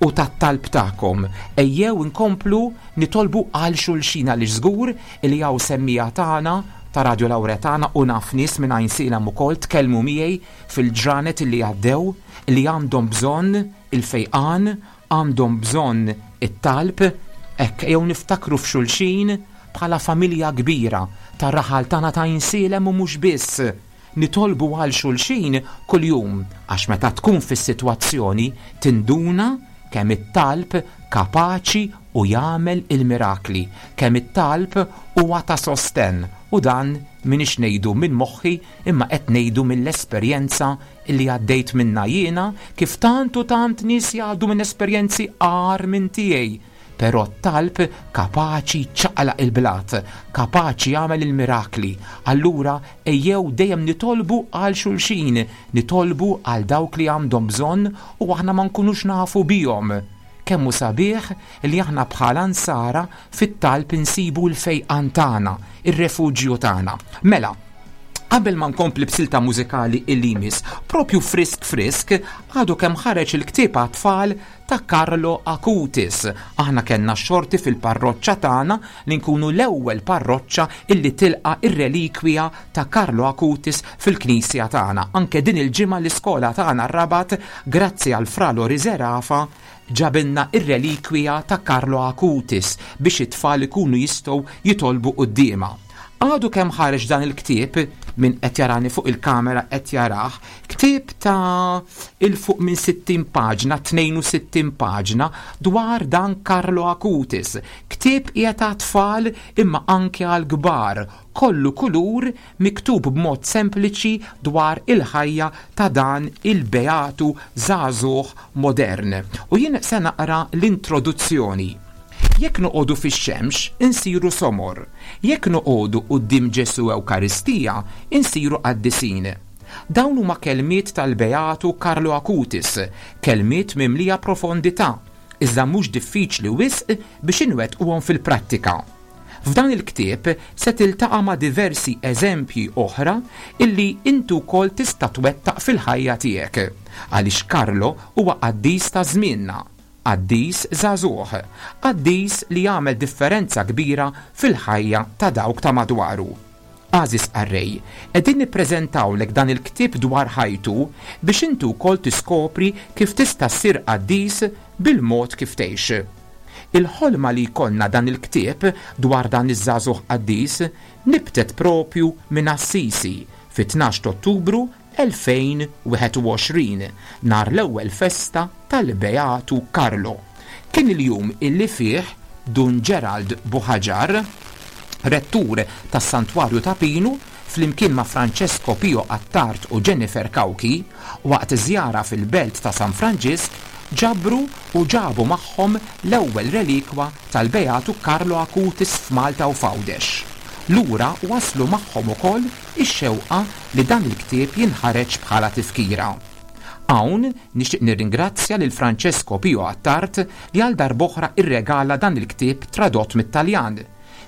u tat-talb tagħkom. Ejjew inkomplu nitolbu għal xulxin għaliex żgur li hawn semmiegħa tagħna ta' Radio Lauretana u naf nies minn Għajnsielem ukoll tkellmu miegħi fil-ġranet li għaddew li għandhom bżonn il-fejqan, għandhom bżonn it-talb, hekk ejjew niftakru f'xulxin bħala familja kbira tar-raħal tagħna ta' Għajnsielem u mhux biss. Nitolbu għal xulxin kuljum għax meta tkun fis-sitwazzjoni tinduna kemm it-talb kapaċi u jagħmel il-mirakli, kemm it-talb huwa ta' sostenn u dan m'iniex ngħidu minn moħħi imma qed ngħidu mill-esperjenza li għaddejt minnha jiena kif tant u tant nies jgħaddu minn esperjenzi agħar minn tiegħi. Però t-talb kapaċi jċaqlaq il-blat, kapaċi jagħmel il-mirakli. Allura ejjew dejjem nitolbu għal xulxin, nitolbu għal dawk li għandhom bżonn u aħna ma nkunux nafu bihom. Kemm hu sabiħ li aħna bħala Nsara fit-talb insibu l-fejqan tagħna, ir-refuġju tagħna. Mela, Qabel ma nkompli b'silta mużikali illi jmiss, propju frisk frisk, għadu kemm ħareġ il-ktieb għat-tfal ta' Carlo Acutis. Aħna kellna x-xorti fil-parroċċa tagħna li nkunu l-ewwel parroċċa illi tilqa' r-relikwija ta' Carlo Acutis fil-knisja tagħna. Anke din il-ġimgħa l-iskola tagħna r-Rabat, grazzi għal Fra Lori Zerafa, ġabilna r-relikwija ta' Carlo Acutis biex it-tfal ikunu jistgħu jitolbu quddiemha. Għadu kemm ħareġ dan il-ktieb, min qed jarani fuq il-kamera qed jarah, ktieb ta' 'il fuq minn 60 paġna, 62 paġna, dwar dan Carlo Acutis. Ktieb qiegħed għat-tfal imma anke għall-kbar, kollu kulur, miktub b'mod sempliċi dwar il-ħajja ta' dan il-beatu żagħżugħ modern. U jien se naqra l-introduzzjoni. Jekk noqogħdu fix-xemx, insiru somor. Jekk noqogħdu quddiem Ġesù Ewkaristija, insiru qaddisin. Dawn huma kelmiet tal-Beatu Carlo Acutis, kelmiet mimlija profondità, iżda mhux diffiċli wisq biex inwettquhom fil-prattika. F'dan il-ktieb se tiltaqa' ma' diversi eżempji oħra illi inti wkoll tista' twettaq fil-ħajja tiegħek. Għaliex Carlo huwa qaddis ta' żmienna, Qaddis żagħżugħ, qaddis li għamel differenza kbira fil-ħajja ta' dawk ta' madwaru. Għażiż qarrej, qegħdin nippreżentawlek dan il-ktieb dwar ħajtu biex inti wkoll tiskopri kif tista' ssir qaddis bil-mod kif tgħix. Il-ħolma li jkollna dan il-ktieb dwar dan iż-żagħżugħ qaddis nibtet propju minn Assisi fit-tnax t'Ottubru 2021, nhar l-ewwel festa tal-Beatu Karlo. Kien il-jum illi fih Dun Gerald Buhaġar, Rettur tas-Santwarju ta' Pinu, flimkien ma' Francesco Pio Attard u Jennifer Cauchi, waqt żjara fil-belt ta' San Franġisk, ġabru u ġabu magħhom l-ewwel relikwa tal-Beatu Carlo Acutis f'Malta u f'Għawdex. Lura waslu magħhom ukoll ix-xewqa li dan il-ktieb jinħareġ bħala tifkira. Hawn nixtieq nirringrazzja lil Francesco Pio Attard li għal darb'oħra rregala dan il-ktieb tradott mit-Taljan,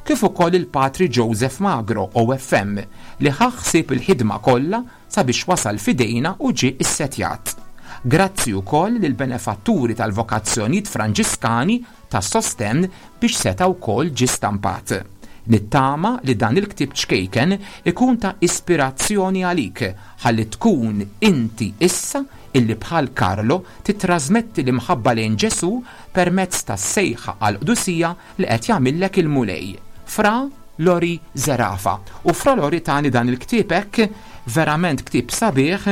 kif ukoll lil Patri Joseph Magro, OFM, li ħa ħsieb il-ħidma kollha sabiex wasal f'idejna u ġie ssettjat. Grazzi wkoll lill-benefatturi tal-vokazzjonijiet Franġiskani tas-sostenn biex seta' wkoll ġie stampat. Nittama li dan il-ktieb ċkejken ikun ta' ispirazzjoni għalik ħalli tkun inti issa illi bħal Carlo tittrażmetti l-imħabba lejn Ġesù permezz tas-sejħa għall-qdusija li qed jagħmillek il-Mulej. Fra Lori Zerafa. U Fra Lori tani dan il-ktieb hekk, verament ktieb sabiħ,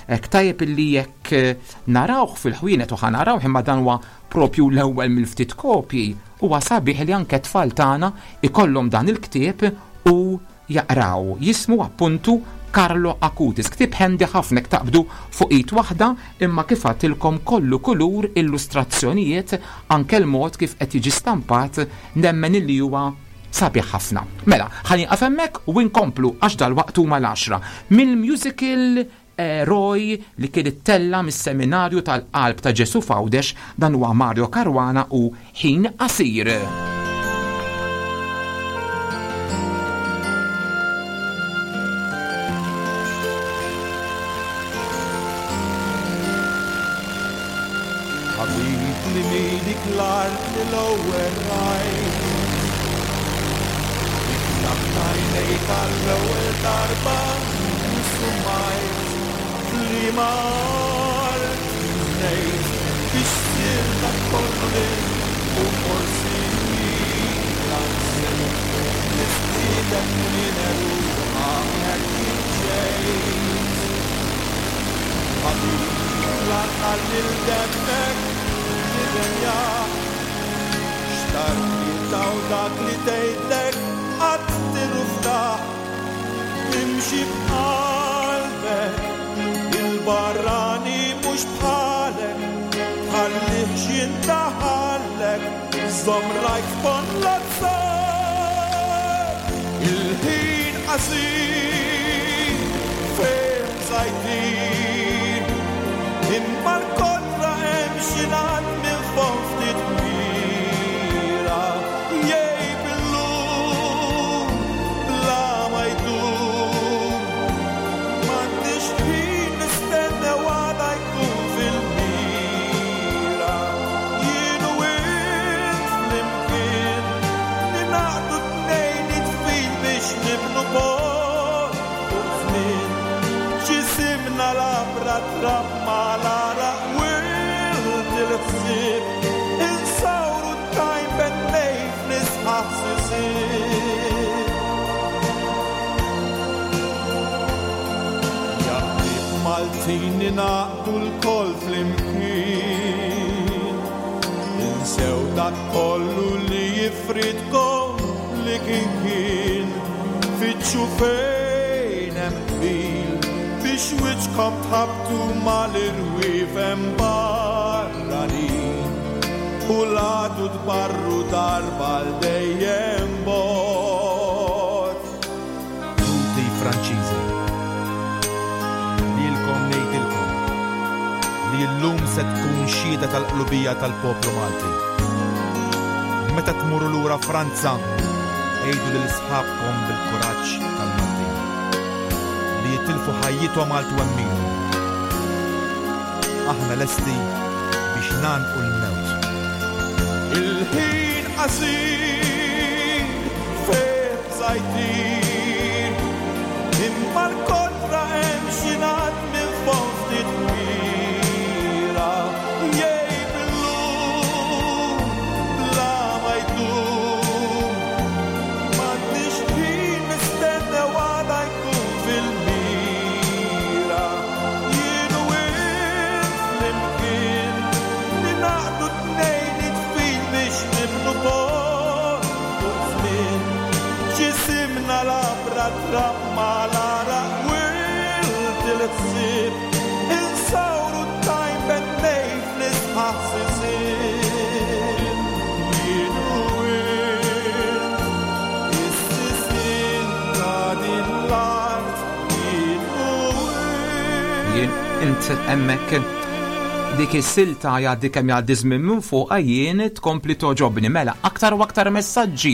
hekk tajjeb illi jekk narawh fil-ħwienet u ħa narawh imma dan huwa Propju l-ewwel mill-ftit kopji, huwa sabiħ li anke t-tfal tagħna ikollhom dan il-ktieb u jaqraw. Jismu appuntu Carlo Acutis. Ktieb handy ħafna jekk taqbdu fuq id waħda imma kif għadtilkom kollu kulur, illustrazzjonijiet, anke l-mod kif qed jiġi stampat nemmen illi huwa sabiħ ħafna. Mela, ħa nieqaf hemmhekk u nkomplu għax dalwaqt huma l-għaxra. Mill-musical Eroj li kien ittella' mis-Seminarju tal-Qalb ta' Ġesù f'Għawdex, dan huwa Mario Caruana u Ħin Qasir. Ħabib li mili l-art li l-ewwel rajt. Iftaħt għajnejk għall-ewwel darba u sumajt f'liema art ngħid biex ssir dak kollu li u forsi la nsejt nistieden minn għeruqha hekk kif ġejt. Ħabib la tħalli 'l demmek jirrenjah. Xtaqt li taw dak li tgħidlek qatt tirruftaħ. Imxi b'qalbek, il-barrani mhux bħalek, tħallihx jindaħallek, żomm rajk f'ponn l-azzar. Il-ħin qasir fejn sa jtir, imma l-kontra hemm xi ngħad minn fond ftit mira jgħib illum bla ma jdum. labra trab mal-għaraq wild il-ħsieb Insawru t-tajn bennej fl-isqaħ sisien Ja ħbieb Maltin ningħaqdu lkoll flimkien Insew dak kollu li jifridkom li kien kien Fittxu fejn hemm qbil biex wiċċkom tħabbtu mal-irwiefen barranin U l-għadu tbarru darba għal dejjem bogħod. Ħuti Franċiżi, lilkom ngħidilkom li llum se tkun xhieda tal-qlubija tal-poplu Malti. Meta tmorru lura Franza, għidu lil sħabkom bil-kuraġġ tal-Maltin li jitilfu ħajjithom għal twemminhom. Aħna lesti biex ngħannqu l-mewt. Il-ħin qasir fih bżajtir, imma l-kontra hemm xi ngħad minn fond ftit kbira. Jgħib illum bla ma jdum, m'għandniex ħin nistennew għada jkun fil-mira. Jien u int flimkien ningħaqdu tnejn id f'id biex nibnu pont fuq żmien. Ġisimna labra trab mal-għaraq wild il-ħsieb Insawru t-tajn bennej fl-isqaħ sisien. Jien u int is-sisien ta' din l-art. Jien u Jien int hemmhekk dik is-silta jgħaddi kemm jgħaddi żmien minn fuqha jien tkompli togħġobni. Mela, aktar u aktar messaġġi.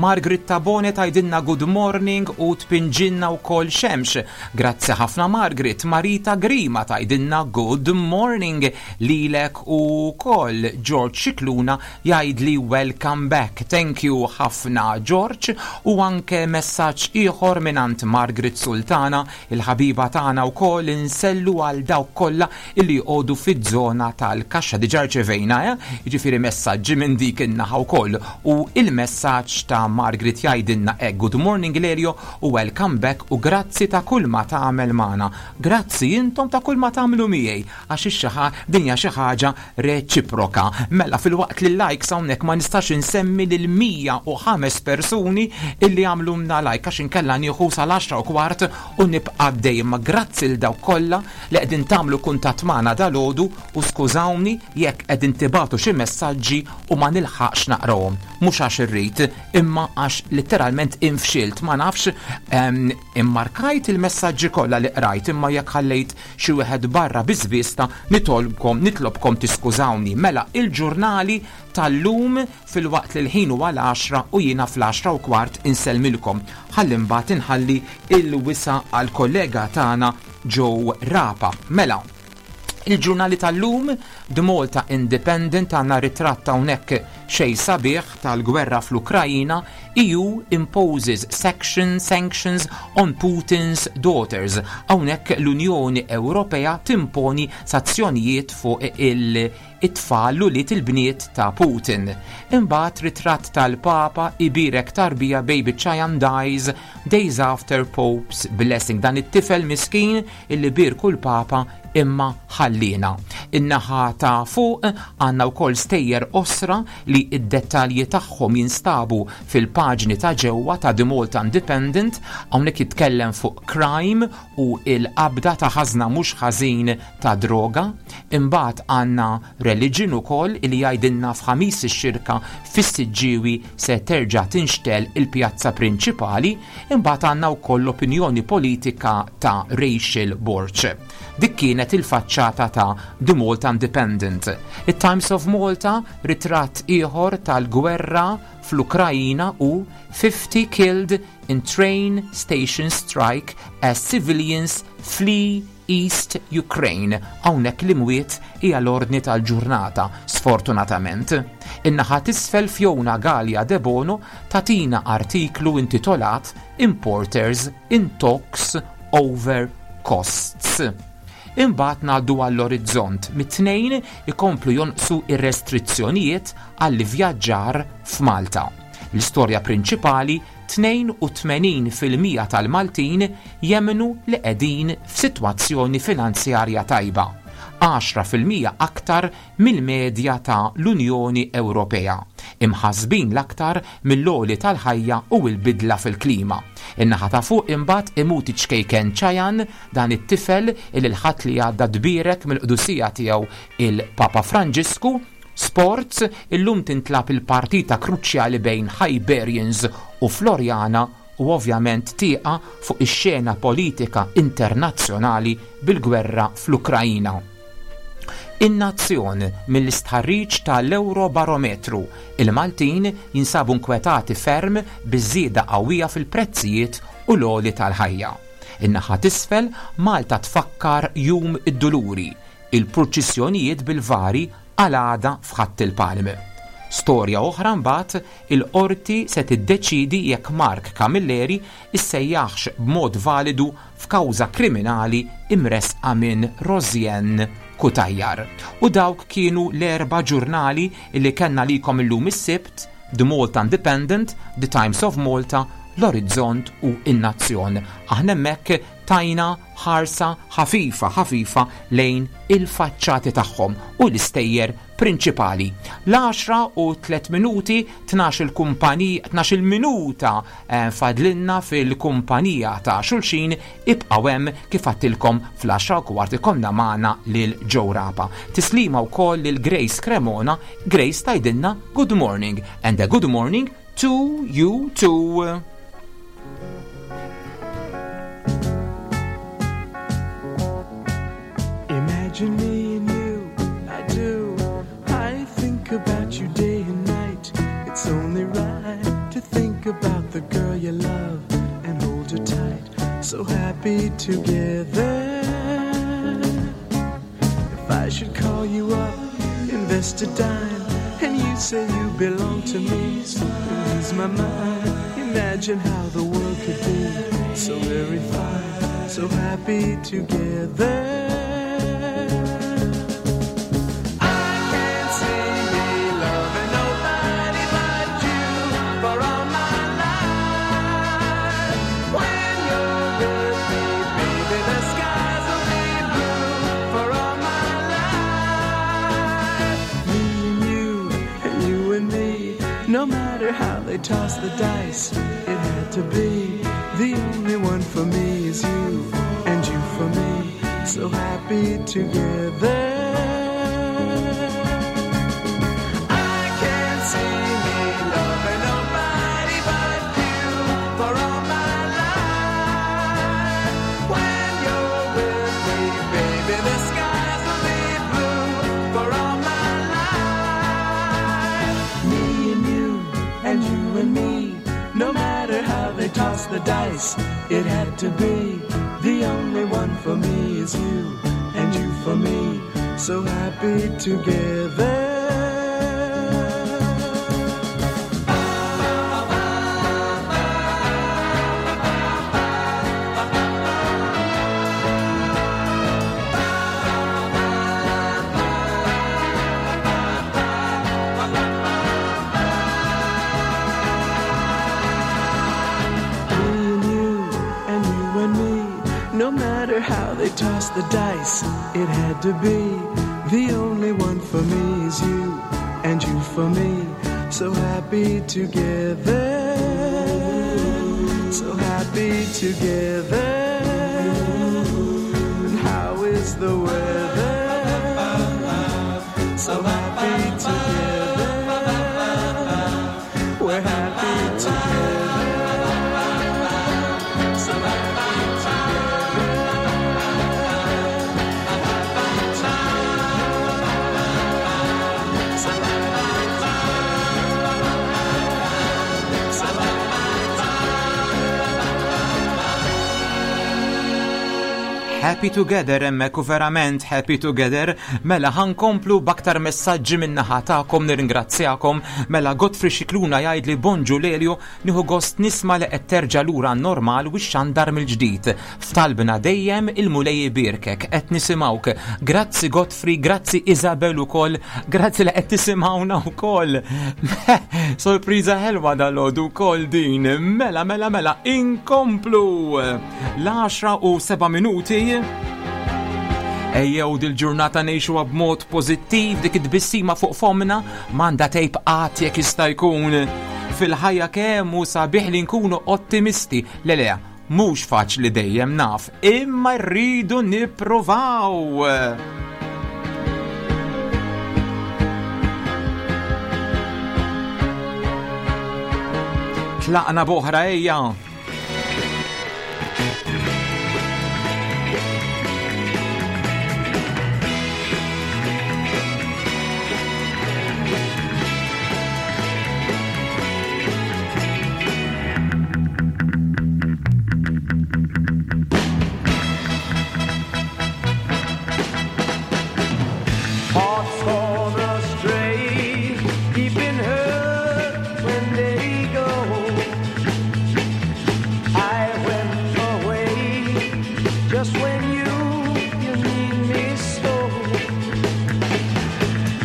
Margaret Tabone tgħidilna good morning u tpinġilna wkoll xemx. Grazzi ħafna Margaret. Marita Grima tgħidilna good morning lilek ukoll. George Scicluna jgħidli welcome back. Thank you ħafna George. U anke messaġġ ieħor mingħand Margaret Sultana, il-ħabiba tagħna wkoll insellu għal dawk kollha illi jqogħdu fiż-żona tal-kaxxa. Diġà rċevejna, eh? Jiġifieri messaġġi minn dik in-naħa wkoll. U il-messaġġ ta' Margaret jgħidilna hekk good morning Lelio u welcome back u grazzi ta' kull ma tagħmel magħna. Grazzi intom ta' kull ma tagħmlu miegħi għax ix-xi din hija xi ħaġa reċiproka. Mela filwaqt li likes hawnhekk ma nistax insemmi lil 105 persuni illi għamlulna like għax inkella nieħu sal-10:15 u nibqa' għaddej. Ma grazzi lil dawk kollha li qegħdin tagħmlu kuntatt magħna dalgħodu u skużawni jekk qegħdin tibagħtu xi messaġġi u ma nilħaqx naqrahom. Mhux għax irrid, imma għax litteralment infxilt, ma nafx immarkajt il-messaġġi kollha li qrajt imma jekk ħallejt xi wieħed barra bi żvista nitlobkom tiskużawni. Mela il-ġurnali tal-lum filwaqt li l-ħin huwa l-10 u jiena fl-10:15 insellmilkom. Ħalli mbagħad inħalli il-wisa għall-kollega tagħna Joe Rapa. Mela, il-ġurnali tal-lum, The Malta Independent għandna ritratt hawnhekk xej sabiħ tal-gwerra fl-Ukrajina, EU imposes sanctions on Putin's daughters. Hawnhekk l-Unjoni Ewropea timponi sanzjonijiet fuq it-tfal u li il-bniet ta' Putin. Imbagħad ritratt tal-Papa ibirek tarbija baby Chayan dies days after Pope's blessing. Dan it-tifel miskin illi birku l-Papa imma ħallina. In-naħa ta' fuq għandna wkoll stejjer osra li id-dettalji tagħhom jinstabu fil-paġni ta' ġewwa ta' The Malta Independent, hawnhekk jitkellem fuq crime u il-qabda ta' ħażna mhux ħażin ta' droga. Imbagħad għandna religion ukoll li jgħidilna f'Ħamis ix-Xirka fis-Siġġiewi se terġa' tinxtel il-pjazza prinċipali. Imbagħad għandna wkoll l-opinjoni politika ta' Rachel Borg. Dik kienet il-faċċata ta' The Malta Independent. Il-Times of Malta ritratt ieħor tal-gwerra fl-Ukrajina u 50 killed in train station strike as civilians flee East Ukraine. Hawnhekk l-imwiet hija l-ordni tal-ġurnata, sfortunatament. In-naħa t'isfel Fiona Galea Debono tagħtina artiklu intitolat Importers in Talks Over Costs. Imbagħad ngħaddu għall-orizzont mit-tnejn ikomplu jonqsu ir-restrizzjonijiet għall-ivvjaġġar f'Malta. L-istorja prinċipali 82% tal-Maltin jemmnu li qegħdin f'sitwazzjoni finanzjarja tajba, 10% aktar mill-medja ta' l-Unjoni Ewropea, imħassbin l-aktar mill-għoli tal-ħajja u l-bidla fil-klima. In-naħa ta' fuq imbagħad imut iċ-ċkejken Chayan, dan it-tifel li l-Ħadd li għadda tbierek mill-Qdusija Tiegħu il-Papa Franġisku. Sports, Illum tintlagħab il-partita kruċjali bejn Hibernians u Floriana u ovvjament tieqa fuq ix-xena politika internazzjonali bil-gwerra fl-Ukraina. In-Nazzjon, Mill-istħarriġ ta' l-Ewrobarometru, il-Maltin jinsabu nkwetati ferm biż-żieda qawwija fil-prezzijiet u l-għoli tal-ħajja. In-naħa t'isfel, Malta tfakkar Jum id-Duluri, il-purċissjonijiet bil-vari għal għada f'Ħadd il-Palm. Storja oħra mbagħad, il-Qorti se tiddeċiedi jekk Mark Camilleri issejjaħx b'mod validu f'kawża kriminali imressqa minn Rosianne Cutajar. U dawk kienu l-erba' ġurnali li kellna għalikom illum is-Sibt, The Malta Independent, The Times of Malta, L-Orizzont u In-Nazzjon. Aħna hemmhekk tajna ħarsa ħafifa ħafifa lejn il-faċċati tagħhom u l-istejjer prinċipali. L-għaxra u tliet minuti, tnax-il kumpanija, tnax-il minuta eh, fadlinna fil-kumpanija ta' xulxin, ibqgħu hemm kif għattilkom fl-għaxra u kwart ikollna magħna lil Joe Rapa. Tislima wkoll lil Grace Cremona, Grace tgħidilna good morning and a good morning to you too. Imagine me and you, I do. I think about you day and night. It's only right to think about the girl you love and hold her tight. So happy together. If I should call you up, invest a dime, and you say you belong to me, and lose my mind. Imagine how the world could be so very fine, so happy together. I can't see me loving nobody but you for all my life. When you're with me, baby, the skies will be blue for all my life. Me and you, and you and me, no matter how they toss the dice, it had to be. The only one for me is you, and you for me, so happy together. I can't see me loving nobody but you for all my life. When you're with me, baby, the skies will be blue for all my life. Me and you, and you and me, no matter how they toss the dice, it had to be. The only one for me is you, and you for me, so happy together. Me and you, and you and me, no matter how they toss the dice, it had to be. The only one for me is you, and you for me, so happy together. So happy together. And how is the weather? So happy together. We're happy together. So happy together. Happy together. So happy together. So happy Happy together hemmhekk u verament happy together. Mela ħankomplu b'aktar messaġġi min-naħa tagħkom nirringrazzjakom. Mela Godfrey Xikluna jgħidli bonġu Lelio nieħu gost nisma' li qed terġa' lura normal u xandar mill-ġdid. F'talbna dejjem il-Mulej ibierkek qed nisimgħuk. Grazzi Godfrey, grazzi Isabel ukoll, grazzi li qed tisimgħuna wkoll. Sorpriża ħelwa dal-għodu wkoll din. Mela, mela, mela, inkomplu. L-10 u 7 minuti. Ejjew dil-ġurnata ngħixuha b'mod pożittiv dik it-tbissima fuq fomna m'għandha tgħib qatt jekk jista' jkun. Fil-ħajja kemm hu sabiħ li nkunu ottimisti. Le le, mhux faċli dejjem naf, imma rridu nippruvaw. Tlaqna boħra ejja. Hearts gone astray, deep in hurt when they go. I went away just when you you need me so.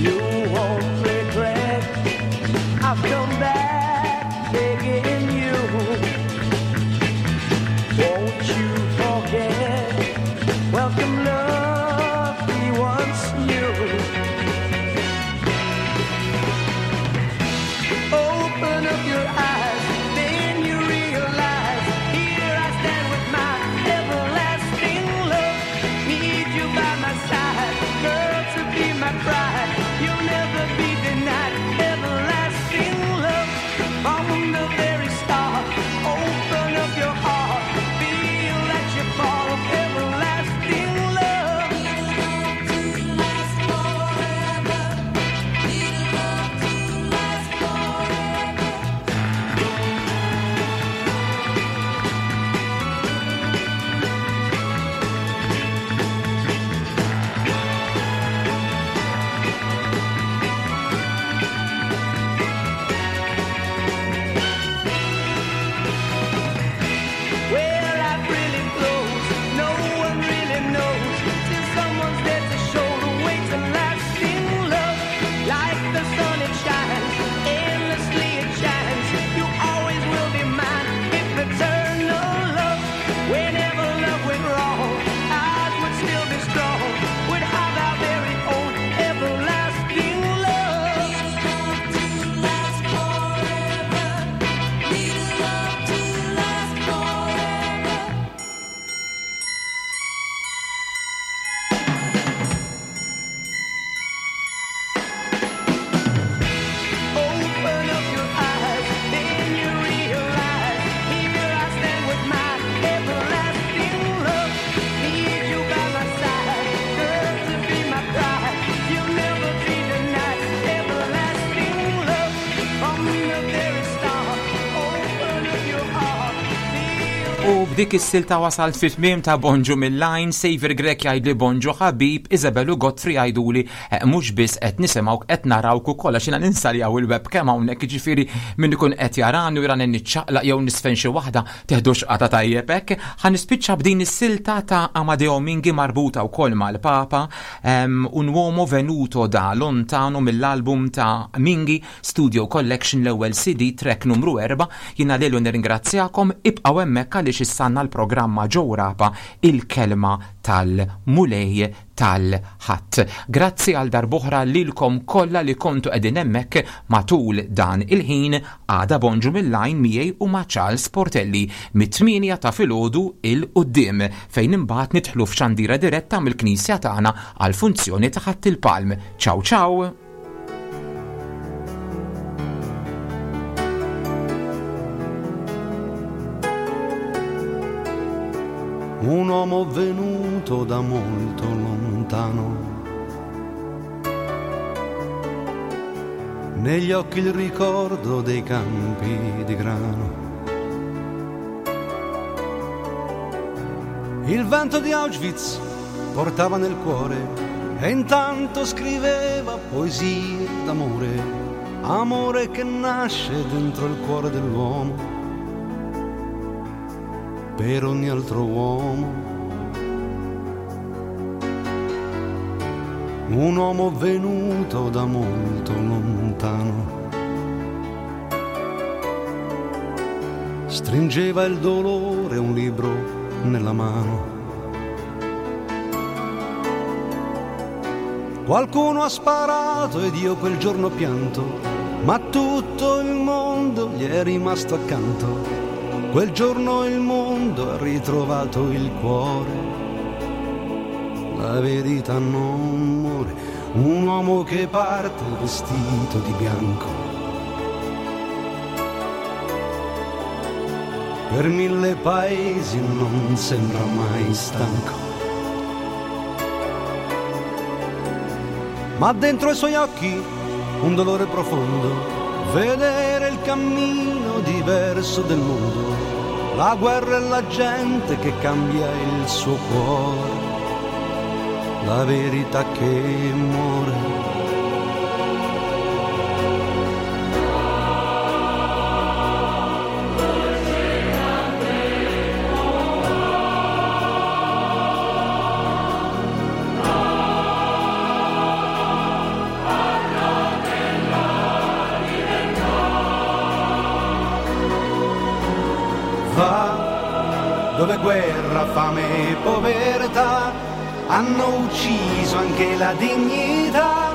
You won't regret. I've come back begging you. Won't you forget? Welcome love we once knew. Open up your eyes, then you realize. Here I stand with my everlasting love. Need you by my side, girl, to be my bride. You'll never be denied everlasting love from the very start. Open up your heart, feel that you fall of everlasting love. Where life really flows, no one really knows till someone's there to show the way to lasting love. Like the sun, it shines endlessly. It shines. You always will be mine if eternal love. Whenever love went wrong, ours would still be strong. Would have our very own everlasting love. Open up your eyes, then you realize. Here I stand with my everlasting love. Need you by my side, girl, to be my pride. You'll never be denied everlasting love from the very start. Open up your heart. U b'dik is-silta wasalt fi tmiem ta' Bonġu mill-line, Savior Grek jgħidli Bonġu ħabib, Isabel u Godfrey jgħiduli eh, mhux biss qed nisimgħuk qed narawk ukoll għax jiena ninsaljaw il-webcam hawnhekk jiġifieri min ikun qed jarani u jarani niċċaqlaq jew nisfen xi waħda teħdux qata tajjeb hekk. Ħa nispiċċa b'din is-silta ta' Amadeo Mingi marbuta wkoll mal-Papa Un uomo venuto da lontano mill-album ta' Mingi Studio Collection l-ewwel CD track numru 4 jiena lilu nirringrazzjakom ibqgħu hemmhekk għaliex issa għandna l-programma Joe Rapa il-kelma tal-Mulej tal-Ħadd. Grazzi għal darb'oħra lilkom kollha li kontu qegħdin hemmhekk matul dan il-ħin għada bonġu mill-line miegħi u ma' Charles Portelli mit-8 ta' filgħodu 'il quddiem fejn imbagħad nidħlu f'xandira diretta mill-knisja tagħna għall-funzjoni ta' Ħadd il-Palm. Ciao ciao! Un uomo venuto da molto lontano. Negli occhi il ricordo dei campi di grano. Il vento di Auschwitz portava nel cuore e intanto scriveva poesie d'amore, amore che nasce dentro il cuore dell'uomo, per ogni altro uomo. Un uomo venuto da molto lontano. Stringeva il dolore un libro nella mano. Qualcuno ha sparato ed io quel giorno pianto, ma tutto il mondo gli è rimasto accanto. Quel giorno il mondo ha ritrovato il cuore. La verità non muore, un uomo che parte vestito di bianco. Per mille paesi non sembra mai stanco. Ma dentro i suoi occhi un dolore profondo, vedere il cammino diverso del mondo, la guerra e la gente che cambia il suo cuore, la verità che muore. Va dove guerra, fame e povertà hanno ucciso anche la dignità.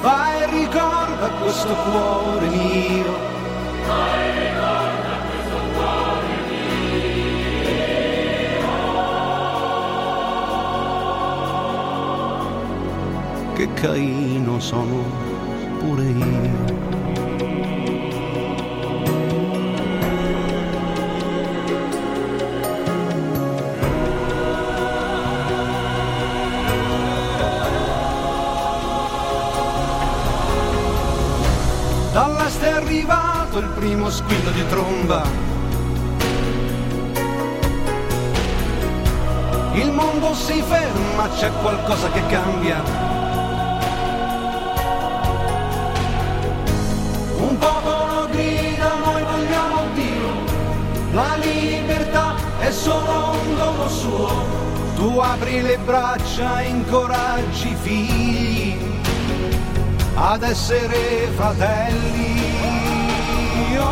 Va e ricorda questo cuore mio. Che Caino sono pure io. Dall'est è arrivato il primo squillo di tromba. Il mondo si ferma, c'è qualcosa che cambia. Un popolo grida, noi vogliamo Dio. La libertà è solo un dono suo. Tu apri le braccia, incoraggi i figli ad essere fratelli. Oh.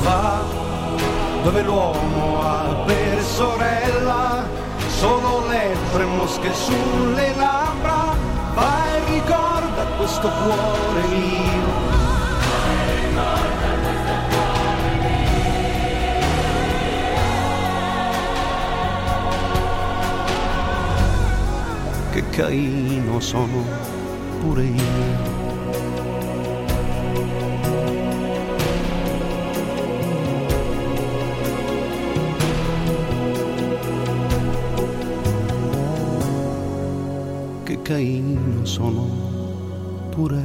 Va dove l'uomo ha per sorella solo lepre e mosche sulle labbra, va e ricorda questo cuore mio. Che Caino sono pure io. Che Caino sono pure